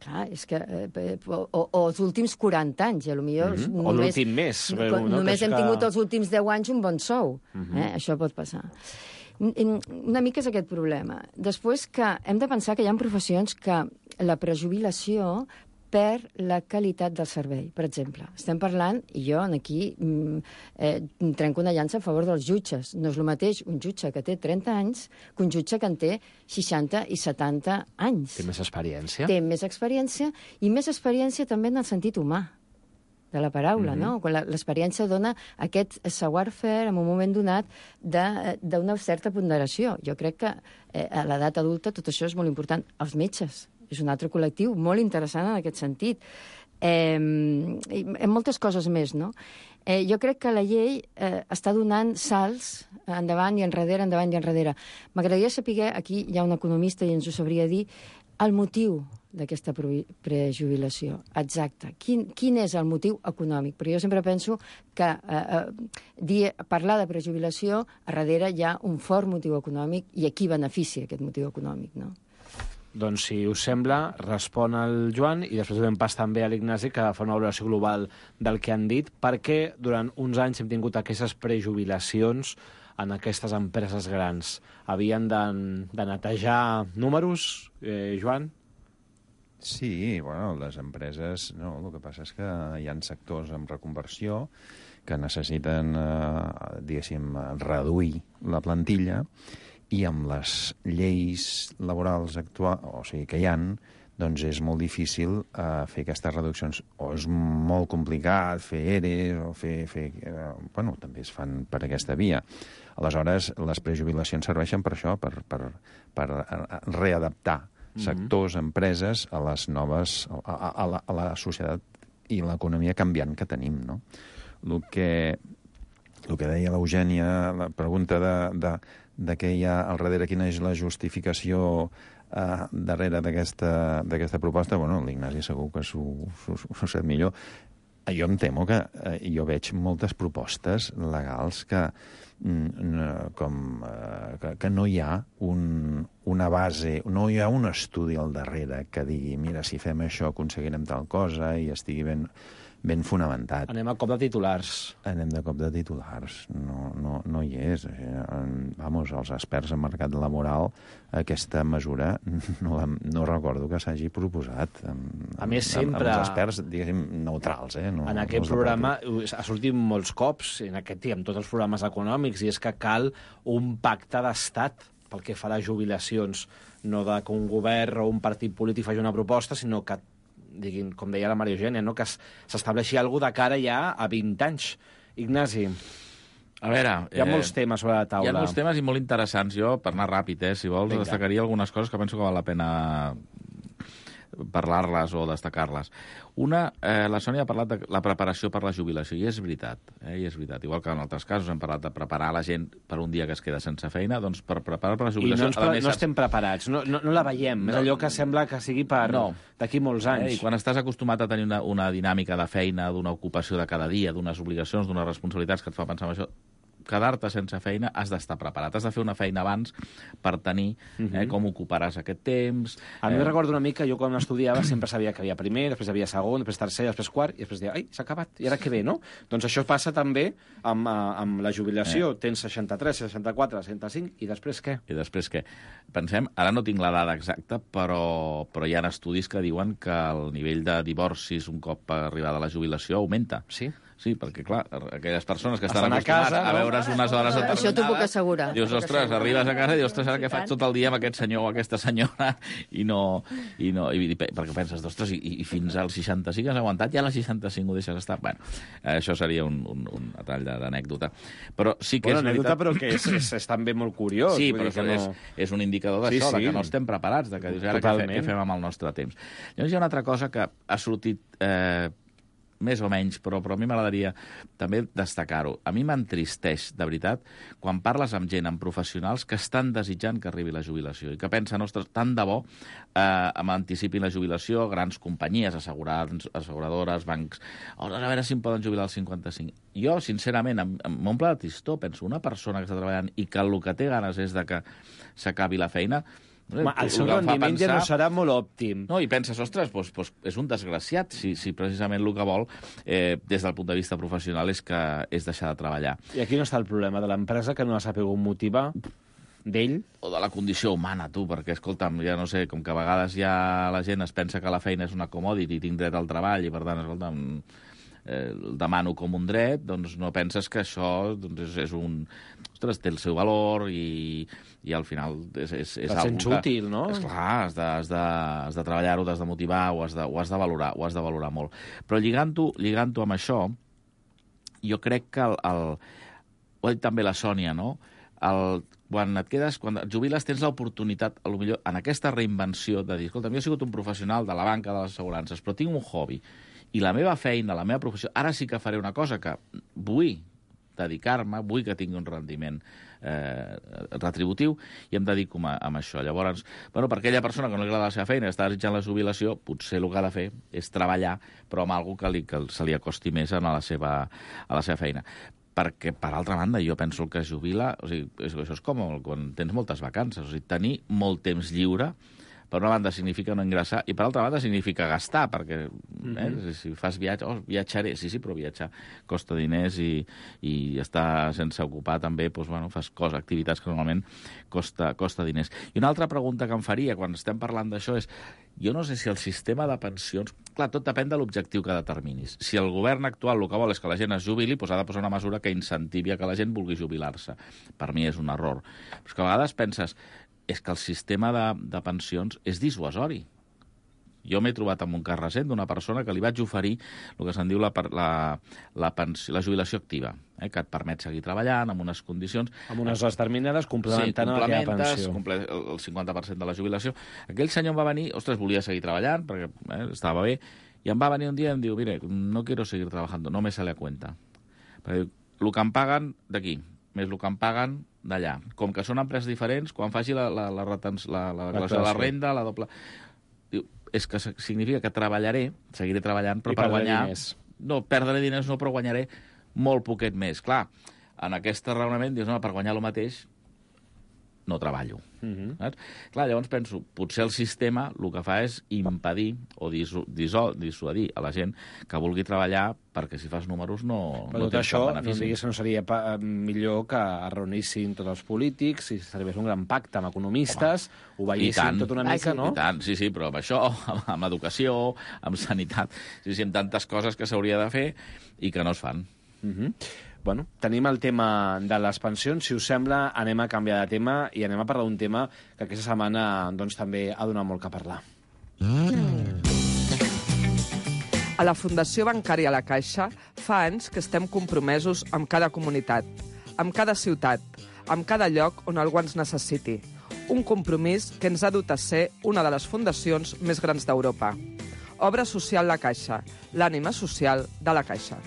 Clar, és que... Eh, o, o els últims quaranta anys, i potser... Mm-hmm. només, o l'últim mes. No, només hem que... tingut els últims deu anys un bon sou. Mm-hmm. eh? Això pot passar. Una mica és aquest problema. Després que hem de pensar que hi ha professions que la prejubilació per la qualitat del servei. Per exemple, estem parlant, i jo aquí eh, trenco una llança a favor dels jutges. No és el mateix un jutge que té trenta anys que un jutge que en té seixanta i setanta anys. Té més experiència. Té més experiència i més experiència també en el sentit humà de la paraula, mm-hmm. no? Quan l'experiència dona aquest savoir-faire en un moment donat d'una certa ponderació. Jo crec que eh, a l'edat adulta tot això és molt important. Els metges és un altre col·lectiu molt interessant en aquest sentit. Eh, en moltes coses més, no? Eh, jo crec que la llei eh, està donant salts endavant i enrere, endavant i enrere. M'agradaria saber, aquí hi ha un economista i ens ho sabria dir, el motiu d'aquesta prejubilació. Exacte. Quin, quin és el motiu econòmic? Però jo sempre penso que eh, eh, dir, parlar de prejubilació, a darrere hi ha un fort motiu econòmic i a qui beneficia aquest motiu econòmic, no? Doncs, si us sembla, respon el Joan i després donem pas també a l'Ignasi, que fa una valoració global del que han dit, perquè durant uns anys hem tingut aquestes prejubilacions en aquestes empreses grans. Havien de, de netejar números, eh, Joan? Sí, bueno, les empreses... No, el que passa és que hi ha sectors amb reconversió que necessiten, eh, diguéssim, reduir la plantilla i amb les lleis laborals actuals, o sigui, que hi ha, doncs és molt difícil eh, fer aquestes reduccions. O és molt complicat fer E R E, o fer... fer eh, bueno, també es fan per aquesta via. Aleshores, les prejubilacions serveixen per això, per, per, per readaptar sectors, mm-hmm. empreses, a les noves... a, a, a, la, a la societat i l'economia canviant que tenim, no? El que... el que deia l'Eugènia, la pregunta de, de, de què hi ha al darrere, quina és la justificació eh, darrere d'aquesta proposta, bueno, l'Ignasi segur que s'ho sap millor. Jo em temo que eh, jo veig moltes propostes legals que, mm, com, eh, que, que no hi ha un, una base, no hi ha un estudi al darrere que digui, mira, si fem això aconseguirem tal cosa i estigui ben, ben fonamentat. Anem a cop de titulars. Anem de cop de titulars. No, no, no hi és. Vamos, els experts en mercat laboral, aquesta mesura no, la, no recordo que s'hagi proposat. A més, sempre... Amb els experts, diguéssim, neutrals, eh? No, en aquest no programa ha sortit molts cops, en aquest i en tots els programes econòmics, i és que cal un pacte d'estat pel que fa a les jubilacions. No de que un govern o un partit polític faci una proposta, sinó que diguin, com deia la Maria Eugènia, no? Que s'estableixi alguna cosa de cara ja a vint anys. Ignasi, a veure, hi ha eh, molts temes sobre la taula. Hi ha molts temes i molt interessants. Jo, per anar ràpid, eh, si vols, Vinga. destacaria algunes coses que penso que val la pena parlar-les o destacar-les. Una, eh, la Sònia ha parlat de la preparació per la jubilació, i és veritat, eh, i és veritat. Igual que en altres casos hem parlat de preparar la gent per un dia que es queda sense feina, doncs per preparar per la jubilació... I no, ens, més, no estem preparats, no, no, no la veiem, no, és allò que sembla que sigui per no. d'aquí molts anys. Eh, I quan estàs acostumat a tenir una, una dinàmica de feina, d'una ocupació de cada dia, d'unes obligacions, d'unes responsabilitats que et fa pensar en això, quedar-te sense feina, has d'estar preparat. Has de fer una feina abans per tenir eh, com ocuparàs aquest temps. A mi eh... recordo una mica, jo quan estudiava sempre sabia que havia primer, després havia segon, després tercer, després quart, i després deia, ai, s'ha acabat, i ara què ve, no? Doncs això passa també amb, amb la jubilació. Eh. Tens seixanta-tres, seixanta-quatre, seixanta-cinc, i després què? I després què? Pensem, ara no tinc la dada exacta, però, però hi ha estudis que diuen que el nivell de divorcis un cop arribada la jubilació augmenta. Sí? Sí, perquè, clar, aquelles persones que estan, estan acostumades a, casa, no? a veure's unes hores determinades... Això t'ho puc assegurar. Dius, ostres, arribes a casa i dius, ostres, ara què faig tot el dia amb aquest senyor o aquesta senyora? I no... I no i, perquè penses, ostres, i, i fins als seixanta-cinc has aguantat, ja a les seixanta-cinc ho deixes estar? Bueno, això seria un, un, un tall d'anècdota. Però sí que bueno, és anècdota, veritat... però que és, és, és també molt curiós. Sí, però que no... és, és un indicador d'això, sí, sí. de que no estem preparats, de que dius, ara què, fe, què fem amb el nostre temps? Llavors hi ha una altra cosa que ha sortit... Eh, més o menys, però, però a mi m'agradaria també destacar-ho. A mi m'entristeix, de veritat, quan parles amb gent, amb professionals que estan desitjant que arribi la jubilació i que pensen, ostres, tant de bo eh, m'anticipin la jubilació, grans companyies, asseguradores, bancs, a veure si em poden jubilar als cinquanta-cinc. Jo, sincerament, em, em m'omple de tristor, penso, una persona que està treballant i que el que té ganes és de que s'acabi la feina, Ma, el seu rendiment ja no serà molt òptim. No, i penses, ostres, doncs, doncs és un desgraciat si, si precisament el que vol, eh, des del punt de vista professional, és que és deixar de treballar. I aquí no està el problema de l'empresa, que no ha sabut motivar d'ell? O de la condició humana, tu, perquè, escolta'm, ja no sé, com que a vegades ja la gent es pensa que la feina és una commodity, tinc dret al treball, i per tant, escolta'm, eh, el demano com un dret, doncs no penses que això doncs, és, és un... Ostres, té el seu valor i, i al final és, és, és algo que... útil, no? Esclar, has de, has de, has de treballar-ho, has de motivar, ho has de, ho has de valorar, ho has de valorar molt. Però lligant-ho lligant-ho amb això, jo crec que el, el... ho ha dit també la Sònia, no? El, quan et quedes, quan et jubiles, tens l'oportunitat, a lo millor, en aquesta reinvenció de dir, escolta, jo he sigut un professional de la banca de les assegurances, però tinc un hobby, i la meva feina, la meva professió, ara sí que faré una cosa que vull dedicar-me, vull que tingui un rendiment eh, retributiu i em dedico a, a això. Llavors, bueno, per aquella persona que no li agrada la seva feina i està desitjant la jubilació, potser el que ha de fer és treballar, però amb alguna que, li, que se li acosti més a la seva, a la seva feina. Perquè, per altra banda, jo penso que es jubila... O sigui, això és com quan tens moltes vacances. O sigui, tenir molt temps lliure, per una banda significa no ingressar, i per altra banda significa gastar, perquè mm-hmm. eh, si fas viatge, oh, viatjaré, sí, sí, però viatjar costa diners i, i estar sense ocupar també, doncs, bueno, fas coses, activitats que normalment costa, costa diners. I una altra pregunta que em faria quan estem parlant d'això és, jo no sé si el sistema de pensions... Clar, tot depèn de l'objectiu que determinis. Si el govern actual el que vol és que la gent es jubili, doncs ha de posar una mesura que incentivi a que la gent vulgui jubilar-se. Per mi és un error. Però és que a vegades penses, és que el sistema de, de pensions és dissuasori. Jo m'he trobat amb un cas recent d'una persona que li vaig oferir el que se'n diu la, la, la, pensió, la jubilació activa, eh, que et permet seguir treballant amb unes condicions... Amb unes hores terminades, complementant sí, aquella pensió. Comple el cinquanta per cent de la jubilació. Aquell senyor em va venir, ostres, volia seguir treballant, perquè eh, estava bé, i em va venir un dia i em diu, mire, no quiero seguir trabajando, no me sale a cuenta. Perquè diu, el que em paguen d'aquí, més el que em paguen d'allà. Com que són empreses diferents, quan faci la, la, la, retens, la, la, la, la, la renda, la doble... Diu, és que significa que treballaré, seguiré treballant, però I per guanyar... Diners. No, perdré diners no, però guanyaré molt poquet més. Clar, en aquest raonament dius, no, per guanyar el mateix no treballo. Uh-huh. Saps? Clar, llavors penso, potser el sistema el que fa és impedir o disu disu dissuadir a la gent que vulgui treballar perquè si fas números no, però no tens això, cap benefici. No diguis que no seria pa millor que es reunissin tots els polítics, si serveix un gran pacte amb economistes, home, ho veiessin tot una mica, no? I tant, sí, sí, però amb això, amb, amb educació, amb sanitat, sí, sí, amb tantes coses que s'hauria de fer i que no es fan. Uh-huh. Bueno, tenim el tema de les pensions. Si us sembla, anem a canviar de tema i anem a parlar d'un tema que aquesta setmana doncs, també ha donat molt que parlar. A la Fundació Bancària La Caixa fa anys que estem compromesos amb cada comunitat, amb cada ciutat, amb cada lloc on algú ens necessiti. Un compromís que ens ha dut a ser una de les fundacions més grans d'Europa. Obra Social La Caixa, l'ànima social de la Caixa.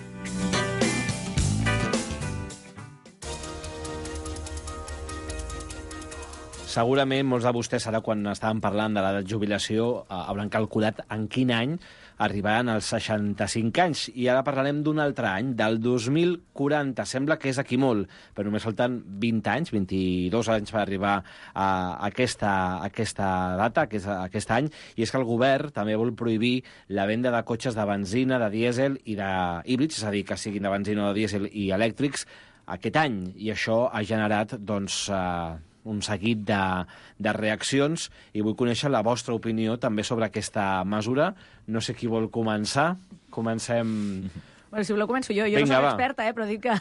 Segurament molts de vostès, ara quan estàvem parlant de l'edat de jubilació, eh, hauran calculat en quin any arribaran als seixanta-cinc anys. I ara parlarem d'un altre any, del dos mil quaranta. Sembla que és aquí molt, però només falten vint anys, vint-i-dos anys per arribar a aquesta, a aquesta data, a aquest any. I és que el govern també vol prohibir la venda de cotxes de benzina, de dièsel i de híbrids, és a dir, que siguin de benzina o de dièsel i elèctrics, aquest any. I això ha generat, doncs, eh, un seguit de, de reaccions i vull conèixer la vostra opinió també sobre aquesta mesura. No sé qui vol començar. Comencem... Bueno, si voleu començo jo. Jo Vinga, no soc va. experta, eh, però dic que...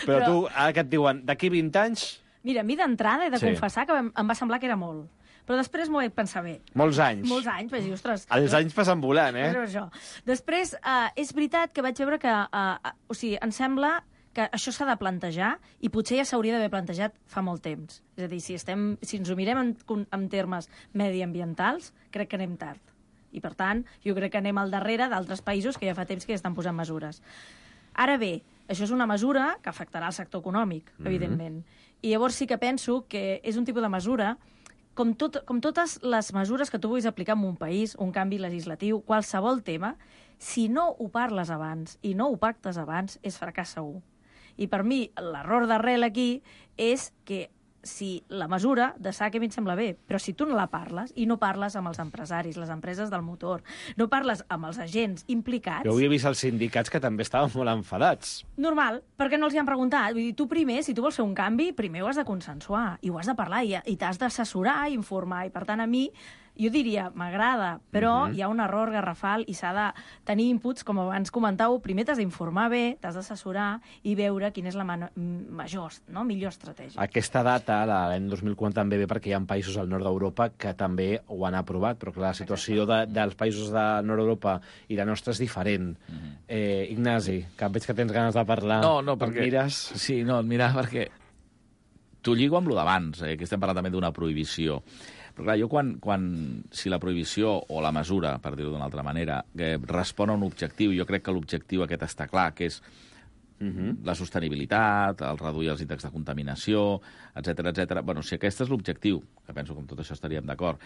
Però, però tu, ara que et diuen, d'aquí vint anys... Mira, a mi d'entrada he de Sí. confessar que em, em va semblar que era molt. Però després m'ho vaig pensar bé. Molts anys. Molts anys, vaig dir, ostres... Els anys passen volant, eh? És això. Després, eh, és veritat que vaig veure que... Eh, o sigui, em sembla que això s'ha de plantejar i potser ja s'hauria d'haver plantejat fa molt temps. És a dir, si, estem, si ens ho mirem en, en termes mediambientals, crec que anem tard. I, per tant, jo crec que anem al darrere d'altres països que ja fa temps que ja estan posant mesures. Ara bé, això és una mesura que afectarà el sector econòmic, mm-hmm. evidentment. I llavors sí que penso que és un tipus de mesura com, tot, com totes les mesures que tu vulguis aplicar en un país, un canvi legislatiu, qualsevol tema, si no ho parles abans i no ho pactes abans, és fracàs segur. I per mi l'error d'arrel aquí és que si la mesura de S A C a mi em sembla bé, però si tu no la parles i no parles amb els empresaris, les empreses del motor, no parles amb els agents implicats... Jo avui he vist els sindicats que també estaven molt enfadats. Normal, perquè no els hi han preguntat. Vull dir, tu primer, si tu vols fer un canvi, primer ho has de consensuar i ho has de parlar i, i t'has d'assessorar i informar. I per tant, a mi, jo diria, m'agrada, però uh-huh. hi ha un error garrafal i s'ha de tenir inputs, com abans comentàveu, primer t'has d'informar bé, t'has d'assessorar i veure quina és la major, no? millor estratègia. Aquesta data, l'any dos mil quaranta, també ve perquè hi ha països al nord d'Europa que també ho han aprovat, però clar, la situació de, dels països del nord d'Europa i la nostra és diferent. Uh-huh. eh, Ignasi, que veig que tens ganes de parlar. No, no, perquè... Mires... Sí, no, mira, perquè t'ho lligo amb lo d'abans, eh, que estem parlant també d'una prohibició. Però clar, jo quan, quan, si la prohibició o la mesura, per dir-ho d'una altra manera, que respon a un objectiu, jo crec que l'objectiu aquest està clar, que és uh-huh. la sostenibilitat, el reduir els índexs de contaminació, etcètera, etcètera. Bueno, si aquest és l'objectiu, que penso que amb tot això estaríem d'acord,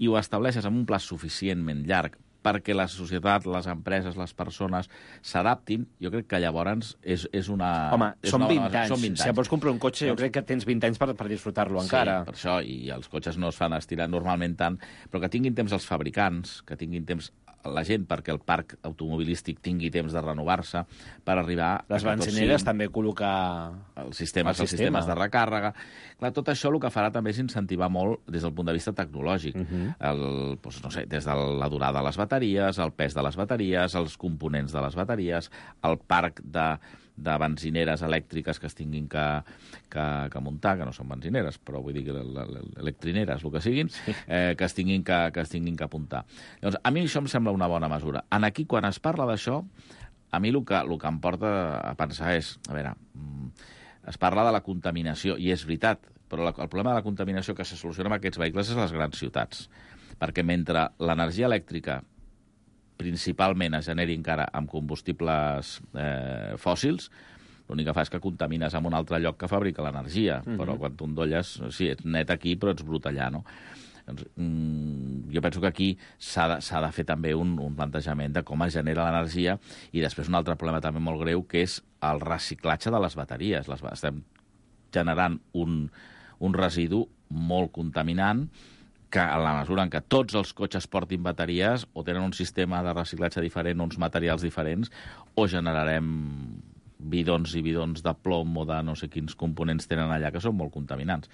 i ho estableixes amb un pla suficientment llarg perquè la societat, les empreses, les persones s'adaptin, jo crec que llavors és, és una... Home, és són, una vint bona, anys. són vint anys. Si vols comprar un cotxe, jo crec que tens vint anys per, per disfrutar-lo sí, encara. Sí, per això, i els cotxes no es fan estirar normalment tant, però que tinguin temps els fabricants, que tinguin temps la gent perquè el parc automobilístic tingui temps de renovar-se per arribar... Les benzineres també col·locar... Els sistemes, el els sistema. sistemes de recàrrega. Clar, tot això el que farà també és incentivar molt des del punt de vista tecnològic. Uh-huh. el, doncs, no sé, des de la durada de les bateries, el pes de les bateries, els components de les bateries, el parc de... de benzineres elèctriques que es tinguin que, que, que muntar, que no són benzineres, però vull dir que electrineres, el que siguin, eh, que, es tinguin que, que es tinguin que apuntar. Llavors, a mi això em sembla una bona mesura. En aquí, quan es parla d'això, a mi el que, el que em porta a pensar és, a veure, es parla de la contaminació, i és veritat, però la, el problema de la contaminació que se soluciona amb aquests vehicles és les grans ciutats, perquè mentre l'energia elèctrica principalment es generi encara amb combustibles eh, fòssils, l'únic que fa és que contamines en un altre lloc que fabrica l'energia, mm-hmm. però quan tu endolles, sí, ets net aquí, però ets brut allà, no? Doncs, mm, jo penso que aquí s'ha de, s'ha de fer també un, un plantejament de com es genera l'energia, i després un altre problema també molt greu, que és el reciclatge de les bateries. Les, estem generant un, un residu molt contaminant, que a la mesura en què tots els cotxes portin bateries, o tenen un sistema de reciclatge diferent, uns materials diferents, o generarem bidons i bidons de plom o de no sé quins components tenen allà que són molt contaminants.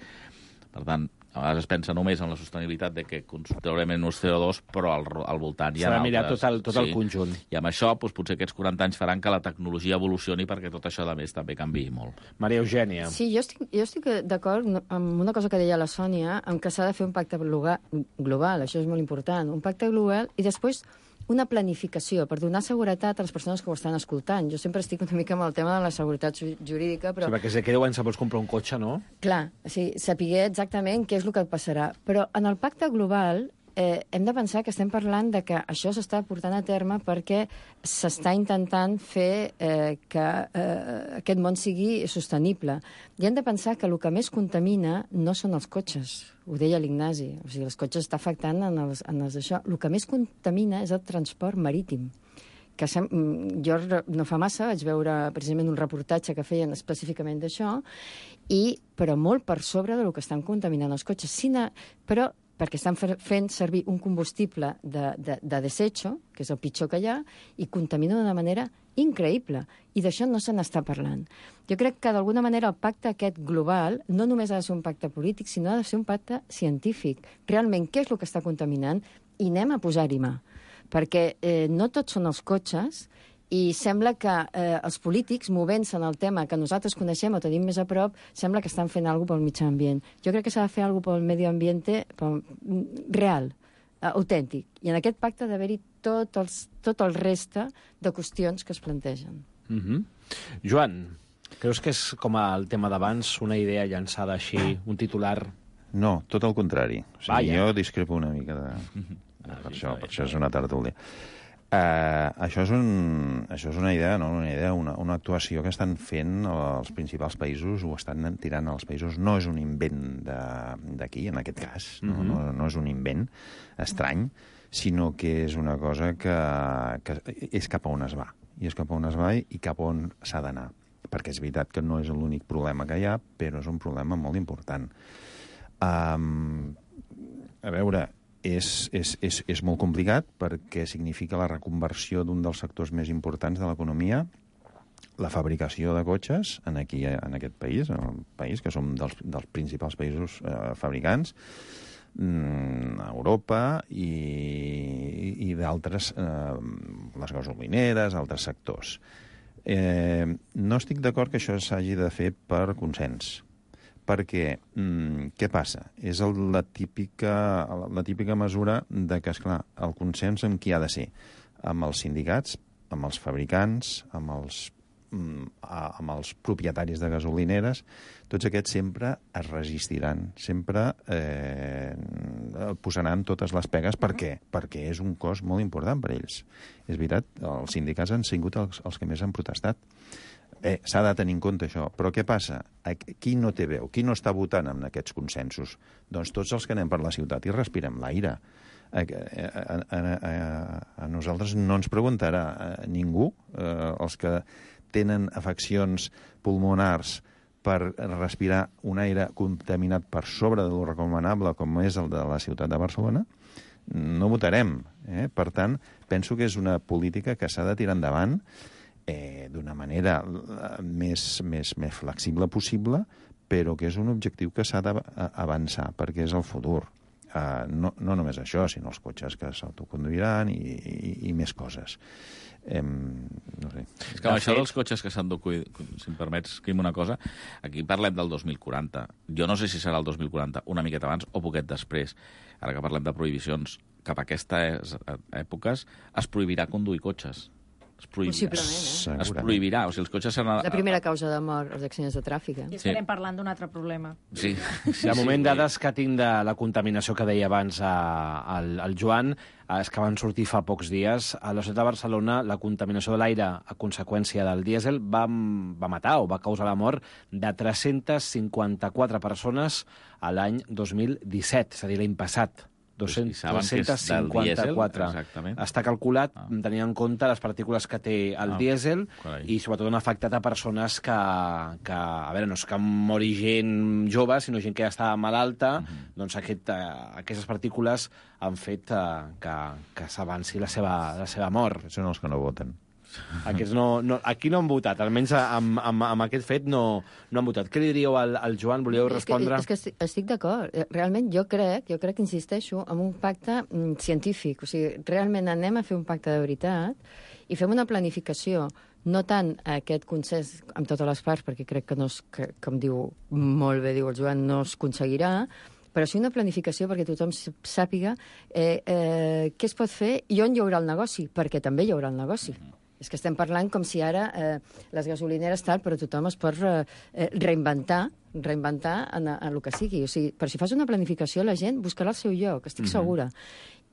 Per tant, a vegades es pensa només en la sostenibilitat de que traurem menys C O dos, però al, al voltant hi ha altres. S'ha de mirar tot el, tot sí. el conjunt. I amb això, doncs, potser aquests quaranta anys faran que la tecnologia evolucioni perquè tot això, a més, també canviï molt. Maria Eugènia. Sí, jo estic, jo estic d'acord amb una cosa que deia la Sònia, amb que s'ha de fer un pacte global, això és molt important, un pacte global, i després una planificació per donar seguretat a les persones que ho estan escoltant. Jo sempre estic una mica amb el tema de la seguretat jurídica, però... Sí, perquè si aquí deu anys se vols comprar un cotxe, no? Clar, sí, saber exactament què és el que et passarà. Però en el pacte global eh, hem de pensar que estem parlant de que això s'està portant a terme perquè s'està intentant fer eh, que eh, aquest món sigui sostenible. I hem de pensar que el que més contamina no són els cotxes, ho deia l'Ignasi, o sigui, els cotxes està afectant en els, en els d'això. El que més contamina és el transport marítim, que sem... jo no fa massa vaig veure precisament un reportatge que feien específicament d'això, i però molt per sobre del que estan contaminant els cotxes. Sina... Però perquè estan fent servir un combustible de, de, de desecho, que és el pitjor que hi ha, i contamina d'una manera increïble. I d'això no se n'està parlant. Jo crec que, d'alguna manera, el pacte aquest global no només ha de ser un pacte polític, sinó ha de ser un pacte científic. Realment, què és el que està contaminant? I anem a posar-hi mà. Perquè eh, no tots són els cotxes, i sembla que eh, els polítics, movent-se en el tema que nosaltres coneixem o tenim més a prop, sembla que estan fent alguna cosa pel mitjà ambient. Jo crec que s'ha de fer alguna cosa pel medi ambient pel... real, eh, autèntic. I en aquest pacte ha d'haver-hi tot, els, tot el reste de qüestions que es plantegen. Mm-hmm. Joan, creus que és com el tema d'abans, una idea llançada així, un titular? No, tot el contrari. O sigui, Vaya. jo discrepo una mica de... de per, això, per això és una tertúlia. Uh, això, és un, això és una idea, no? una idea, una, una actuació que estan fent els principals països, o estan tirant als països. No és un invent d'aquí, en aquest cas, no? Mm-hmm. no, no és un invent estrany, sinó que és una cosa que, que és cap a on es va. I és cap a on es va i cap a on s'ha d'anar. Perquè és veritat que no és l'únic problema que hi ha, però és un problema molt important. Um, a veure... És, és, és, és molt complicat perquè significa la reconversió d'un dels sectors més importants de l'economia, la fabricació de cotxes en, aquí, en aquest país, en el país que som dels, dels principals països eh, fabricants, mm, a Europa i, i d'altres, eh, les gasolineres, altres sectors. Eh, no estic d'acord que això s'hagi de fer per consens. Perquè, mm, què passa? És el, la, típica, la típica mesura de que, esclar, el consens amb qui ha de ser? Amb els sindicats, amb els fabricants, amb els, mm, amb els propietaris de gasolineres. Tots aquests sempre es resistiran, sempre eh, posaran totes les pegues. Per què? Perquè és un cost molt important per ells. És veritat, els sindicats han sigut els, els que més han protestat. Eh, s'ha de tenir en compte això. Però què passa? Qui no té veu? Qui no està votant en aquests consensos? Doncs tots els que anem per la ciutat i respirem l'aire. A, a, a, a, a nosaltres no ens preguntarà ningú, eh, els que tenen afeccions pulmonars per respirar un aire contaminat per sobre de lo recomanable, com és el de la ciutat de Barcelona, no votarem. Eh? Per tant, penso que és una política que s'ha de tirar endavant Eh, d'una manera més, més, més flexible possible, però que és un objectiu que s'ha d'avançar, perquè és el futur. Uh, no, no només això, sinó els cotxes que s'autoconduiran i, i, i més coses. Eh, no sé. És que amb això dels cotxes que s'han d'autoconduir, si em permets, Quim, una cosa, aquí parlem del dos mil quaranta. Jo no sé si serà el dos mil quaranta, una miqueta abans o poquet després. Ara que parlem de prohibicions, cap a aquestes èpoques es prohibirà conduir cotxes. Es prohibirà. Possiblement, eh? Es prohibirà. O sigui, els cotxes seran... La primera causa de mort, els accidents de tràfic. Eh? I estarem parlant d'un altre problema. Sí. De moment, dades que tinc de la contaminació que deia abans el, el Joan, és que van sortir fa pocs dies. A la ciutat de Barcelona, la contaminació de l'aire a conseqüència del dièsel va, va matar o va causar la mort de tres-centes cinquanta-quatre persones a l'any dos mil disset, és a dir, l'any passat. tres-centes cinquanta-quatre. Està calculat, ah. tenint en compte les partícules que té el ah, dièsel carai. I sobretot han afectat a persones que, que, a veure, no és que mori gent jove, sinó gent que ja estava malalta, uh -huh. doncs aquest, uh, aquestes partícules han fet uh, que, que s'avanci la seva, la seva mort. Són els que no voten. Aquests no, no, aquí no han votat, almenys amb, amb, amb aquest fet no, no han votat. Què li diríeu al, al Joan? Volíeu respondre? És que, és que estic, estic d'acord. Realment jo crec, jo crec que insisteixo en un pacte mm, científic. O sigui, realment anem a fer un pacte de veritat i fem una planificació, no tant aquest consens amb totes les parts, perquè crec que, no es, que com diu molt bé, diu el Joan, no es aconseguirà, però sí una planificació perquè tothom sàpiga eh, eh, què es pot fer i on hi haurà el negoci, perquè també hi haurà el negoci. És que estem parlant com si ara eh, les gasolineres tal, però tothom es pot re, eh, reinventar, reinventar en, en el que sigui. O sigui, però si fas una planificació, la gent buscarà el seu lloc, estic mm-hmm. segura.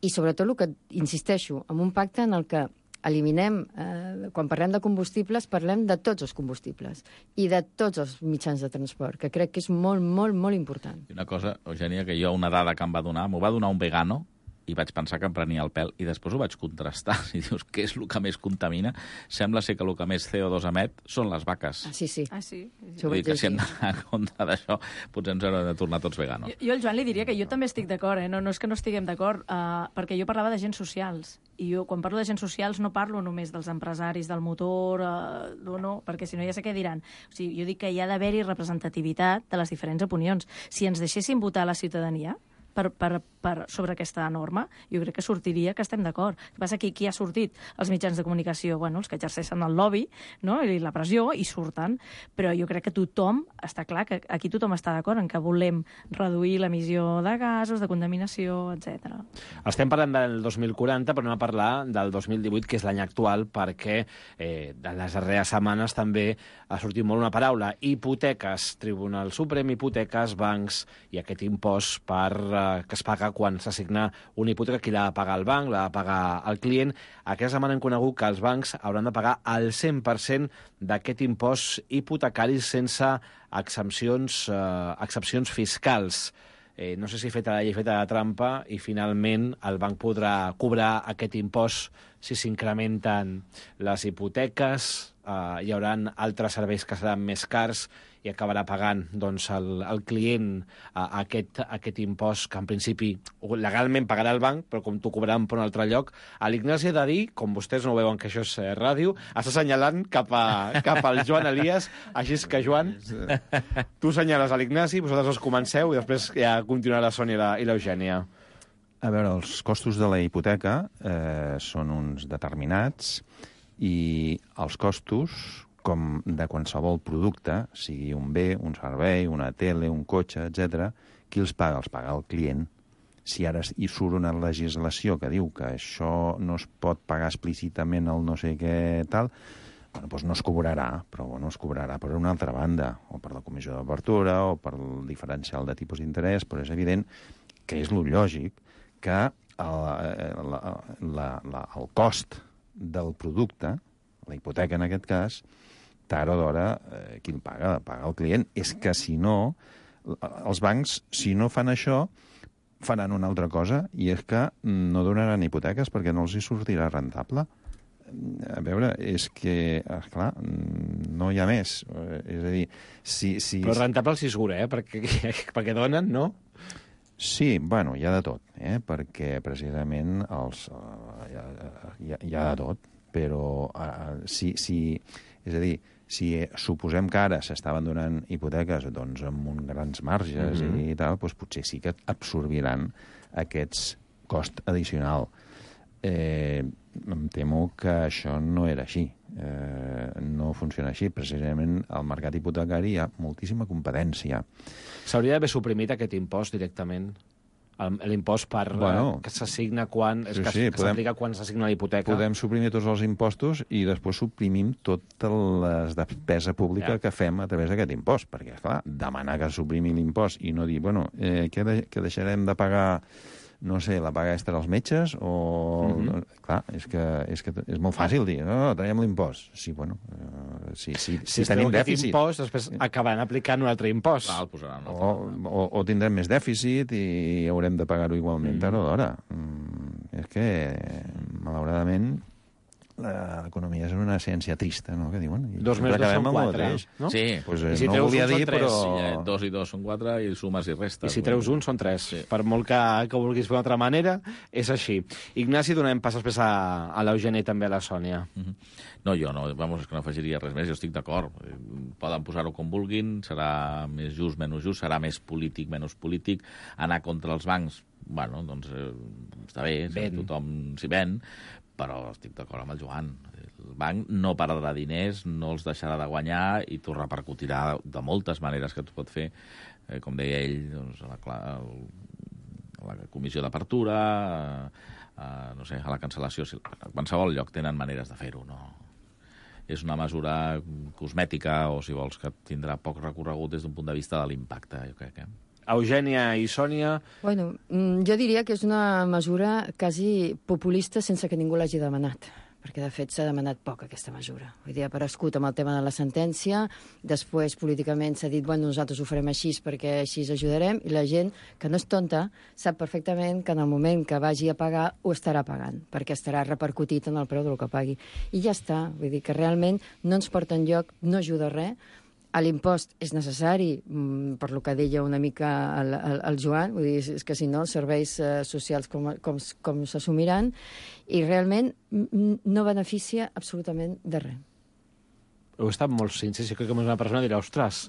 I sobretot el que, insisteixo, amb un pacte en el que eliminem, eh, quan parlem de combustibles, parlem de tots els combustibles i de tots els mitjans de transport, que crec que és molt, molt, molt important. I una cosa, Eugènia, que jo una dada que em va donar, m'ho va donar un vegano, i vaig pensar que em prenia el pèl, i després ho vaig contrastar. I dius, què és el que més contamina? Sembla ser que el que més C O dos emet són les vaques. Ah, sí, sí. Ah, sí? Vull dir que si hem d'anar en contra d'això, potser ens haurem de tornar tots veganos. Jo, jo al Joan li diria que jo també estic d'acord, eh? no, no és que no estiguem d'acord, uh, perquè jo parlava d'agents socials, i jo quan parlo d'agents socials no parlo només dels empresaris del motor, uh, no, no, perquè si no ja sé què diran. O sigui, jo dic que hi ha d'haver-hi representativitat de les diferents opinions. Si ens deixessin votar a la ciutadania, Per, per, per, sobre aquesta norma, jo crec que sortiria que estem d'acord. El que passa que qui ha sortit? Els mitjans de comunicació, bueno, els que exerceixen el lobby, no? I la pressió, i surten. Però jo crec que tothom, està clar que aquí tothom està d'acord en que volem reduir l'emissió de gasos, de contaminació, etcètera. Estem parlant del dos mil quaranta, però anem a parlar del dos mil divuit, que és l'any actual, perquè eh, de les darreres setmanes també ha sortit molt una paraula. Hipoteques, Tribunal Suprem, hipoteques, bancs i aquest impost per eh, que es paga quan s'assigna una hipoteca, qui l'ha de pagar el banc, l'ha de pagar el client. Aquesta setmana hem conegut que els bancs hauran de pagar el cent per cent d'aquest impost hipotecari sense exempcions, eh, excepcions fiscals. Eh, no sé si feta la llei, feta la trampa, i finalment el banc podrà cobrar aquest impost si s'incrementen les hipoteques, eh, hi haurà altres serveis que seran més cars i acabarà pagant doncs, el, el client uh, aquest, aquest impost que en principi legalment pagarà el banc, però com t'ho cobraran per un altre lloc. A l'Ignasi ha de dir, com vostès no veuen que això és eh, ràdio, està assenyalant cap, a, cap al Joan Elias, així és que, Joan, tu assenyales a l'Ignasi, vosaltres els comenceu i després ja continuarà la Sònia i l'Eugènia. A veure, els costos de la hipoteca eh, són uns determinats i els costos, com de qualsevol producte, sigui un bé, un servei, una tele, un cotxe, etcètera, qui els paga? Els paga el client. Si ara hi surt una legislació que diu que això no es pot pagar explícitament el no sé què tal, bueno, doncs no es cobrarà, però bueno, es cobrarà per una altra banda, o per la comissió d'obertura, o per el diferencial de tipus d'interès, però és evident que és lo lògic que el, la, la, la, el cost del producte, la hipoteca en aquest cas, tard o d'hora, eh, qui el paga? Paga el client. És que, si no, els bancs, si no fan això, faran una altra cosa, i és que no donaran hipoteques perquè no els hi sortirà rentable. A veure, és que, esclar, no hi ha més. És a dir, si... si... Però rentable els hi segura, eh? Perquè, perquè donen, no? Sí, bueno, hi ha de tot, eh? Perquè precisament els, uh, hi, ha, hi, ha, hi ha de tot, però uh, si, si, és a dir, si suposem que ara s'estaven donant hipoteques doncs, amb uns grans marges mm-hmm. i tal, doncs potser sí que absorbiran aquests cost addicional. Eh, em temo que això no era així. Eh, no funciona així. Precisament al mercat hipotecari hi ha moltíssima competència. S'hauria d'haver suprimit aquest impost directament? l'impost per Bueno, que s'assigna quan... sí, és que, sí, que podem- s'aplica quan s'assigna la hipoteca. Podem suprimir tots els impostos i després suprimim tota la despesa pública Ja. que fem a través d'aquest impost. Perquè, clar, demanar que suprimim l'impost i no dir, bueno, eh, que, de, que deixarem de pagar, no sé, la paga extra als metges o... Mhm. Clar, és que, és que és molt fàcil dir, no, no, traiem l'impost. Sí, bueno, eh, sí, sí, Si si es tenim treu aquest dèficit. impost, després acabaran aplicant un altre impost. Clar, el posaran. No? O, o, o tindrem més dèficit i haurem de pagar-ho igualment Mm. tard o d'hora. Mm, és que, malauradament, la- l'economia és una ciència trista, no?, que diuen. I Dos més dos acabem són amb el quatre, mateix. no? Sí. Pues, eh, I si no treus volia un són dir, tres. però... Sí, eh, dos i dos són quatre i sumes i restes. I si treus un, són tres. Sí. Per molt que, que vulguis fer d'una altra manera, és així. Ignasi, donem pas després a, a l'Eugeni i també a la Sònia. Mm -hmm. No, jo no, vamos, és que no afegiria res més, jo estic d'acord. Poden posar-ho com vulguin, serà més just, menys just, serà més polític, menys polític. Anar contra els bancs, bueno, doncs eh, està bé, Ben. tothom s'hi ven, però estic d'acord amb el Joan. El banc no perdrà diners, no els deixarà de guanyar i t'ho repercutirà de moltes maneres que tu pot fer, eh, com deia ell, doncs, a la, cla- a la comissió d'apertura, a, a, no sé, a la cancel·lació. A qualsevol lloc tenen maneres de fer-ho, no? És una mesura cosmètica o, si vols, que tindrà poc recorregut des d'un punt de vista de l'impacte, jo crec, eh? Eugènia i Sònia... Bueno, mm, jo diria que és una mesura quasi populista sense que ningú l'hagi demanat, perquè de fet s'ha demanat poc aquesta mesura. Vull dir, ha aparegut amb el tema de la sentència, després políticament s'ha dit, bueno, nosaltres ho farem així perquè així ajudarem, i la gent, que no és tonta, sap perfectament que en el moment que vagi a pagar ho estarà pagant, perquè estarà repercutit en el preu del que pagui. I ja està, vull dir que realment no ens porta enlloc, no ajuda a res. L'impost és necessari, mm, per lo que deia una mica el, el, el Joan, vull dir, és que si no els serveis eh, socials com, com, com s'assumiran, i realment mm, no beneficia absolutament de res. Heu estat molt sincers, jo crec que més una persona dirà, ostres,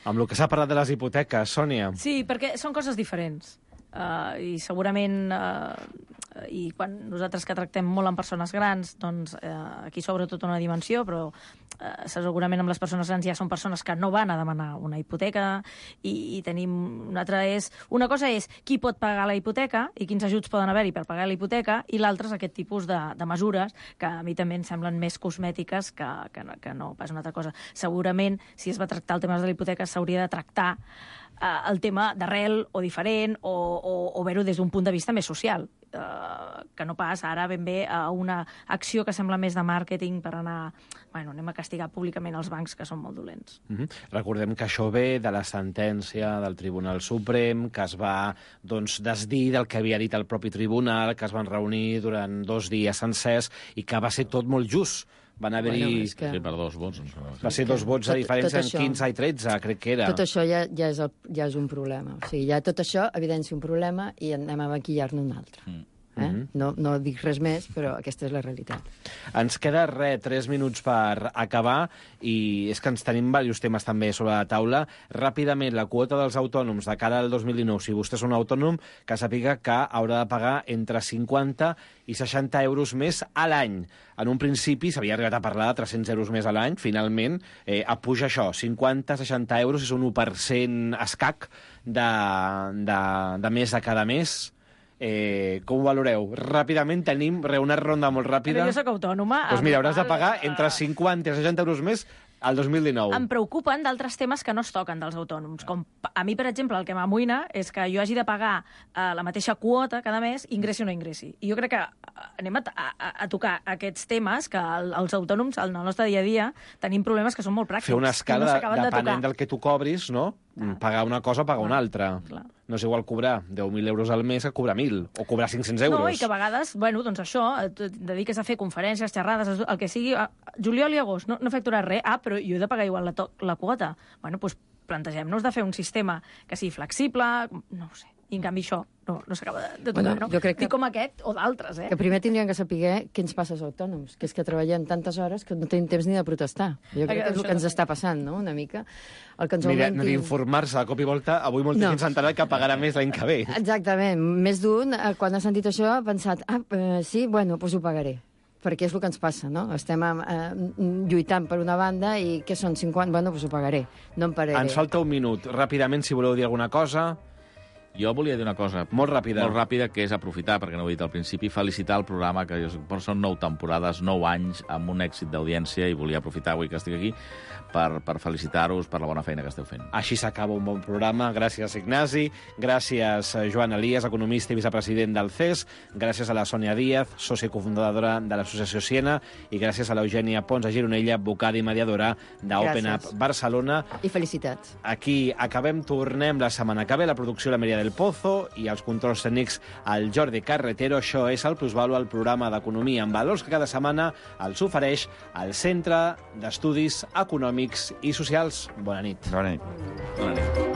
amb el que s'ha parlat de les hipoteques, Sònia. Sí, perquè són coses diferents. Uh, I segurament, uh, i quan nosaltres que tractem molt amb persones grans, doncs uh, aquí s'obre tota una dimensió, però uh, segurament amb les persones grans ja són persones que no van a demanar una hipoteca, i, i tenim una altra és... Una cosa és qui pot pagar la hipoteca i quins ajuts poden haver-hi per pagar la hipoteca, i l'altra és aquest tipus de, de mesures que a mi també em semblen més cosmètiques que, que, no, que no pas una altra cosa. Segurament, si es va tractar el tema de la hipoteca, s'hauria de tractar uh, el tema d'arrel o diferent, o, o, o veure-ho des d'un punt de vista més social, uh, que no pas ara ben bé a una acció que sembla més de màrqueting per anar, bueno, anem a castigar públicament els bancs, que són molt dolents. Mm-hmm. Recordem que això ve de la sentència del Tribunal Suprem, que es va doncs, desdir del que havia dit el propi tribunal, que es van reunir durant dos dies sencers i que va ser tot molt just. Van haver-hi... Bueno, és que- Sí, per dos vots. No sé. Va ser dos vots a Tot- diferència tot en això- quinze i tretze, crec que era. Tot això ja, ja, és el, ja és un problema. O sigui, ja tot això evidencia un problema i anem a maquillar-ne un altre. Mm. Eh? Mhm. No, no dic res més, però aquesta és la realitat. Ens queda, res, tres minuts per acabar, i és que ens tenim diversos temes també sobre la taula. Ràpidament, la quota dels autònoms de cara al dos mil dinou, si vostè és un autònom, que sàpiga que haurà de pagar entre cinquanta i seixanta euros més a l'any. En un principi s'havia arribat a parlar de tres-cents euros més a l'any, finalment eh, apuja això, cinquanta a seixanta euros, és un u per cent escac de, de, de més de cada mes. Eh, com ho valoreu? Ràpidament tenim re, una ronda molt ràpida. Però jo soc autònoma. Doncs mira, hauràs de el- pagar entre cinquanta i seixanta euros més al dos mil dinou. Em preocupen d'altres temes que no es toquen dels autònoms. Com a mi, per exemple, el que m'amoïna és que jo hagi de pagar uh, la mateixa quota cada mes, ingressi o no ingressi. I jo crec que uh, anem a, a, a tocar aquests temes que el, els autònoms, en el nostre dia a dia, tenim problemes que són molt pràctics. Fer una escala, i no de, s'acaben de depenent tocar. del que tu cobris, no? Pagar una cosa, pagar una altra. Clar. No és igual cobrar deu mil euros al mes que cobrar mil, o cobrar cinc-cents euros. No, i que a vegades, bueno, doncs això, et et dediques a fer conferències, xerrades, el que sigui, a juliol i agost, no, no he facturat res, ah, però jo he de pagar igual la, to la quota. Bueno, doncs plantegem-nos de fer un sistema que sigui flexible, no ho sé, i en canvi això no, no s'acaba de, de tocar, Bueno, no? jo crec que- Dic com aquest o d'altres, eh? Que primer tindrien que saber què ens passa als autònoms, que és que treballem tantes hores que no tenim temps ni de protestar. Jo crec que és el que ens està passant, no?, una mica. El que ens Ni de- augmenti... ni d'informar-se de cop i volta, avui molta No. gent s'ha enterat que pagarà més l'any que ve. Exactament. Més d'un, eh, quan ha sentit això, ha pensat, ah, eh, sí, bueno, doncs ho pagaré. Perquè és el que ens passa, no? Estem eh, lluitant per una banda i què són cinquanta? Bueno, doncs ho pagaré. No em pararé. Ens falta un minut. Ràpidament, si voleu dir alguna cosa. Jo volia dir una cosa molt ràpida, molt ràpida que és aprofitar, perquè no ho he dit al principi, felicitar el programa, que són nou temporades, nou anys, amb un èxit d'audiència, i volia aprofitar avui que estic aquí per, per felicitar-vos per la bona feina que esteu fent. Així s'acaba un bon programa. Gràcies, Ignasi. Gràcies, Joan Elias, economista i vicepresident del C E S. Gràcies a la Sònia Díaz, sòcia i cofundadora de l'Associació Siena. I gràcies a l'Eugènia Pons a Gironella, advocada i mediadora d'Open Up Barcelona. I felicitats. Aquí acabem, tornem la setmana que ve. La producció la Maria del Pozo i els controls tècnics al Jordi Carretero. Això és el Plusvalua, el programa d'economia en valors que cada setmana els ofereix el Centre d'Estudis Econòmics i Socials. Bona nit. Bona nit. Bona nit.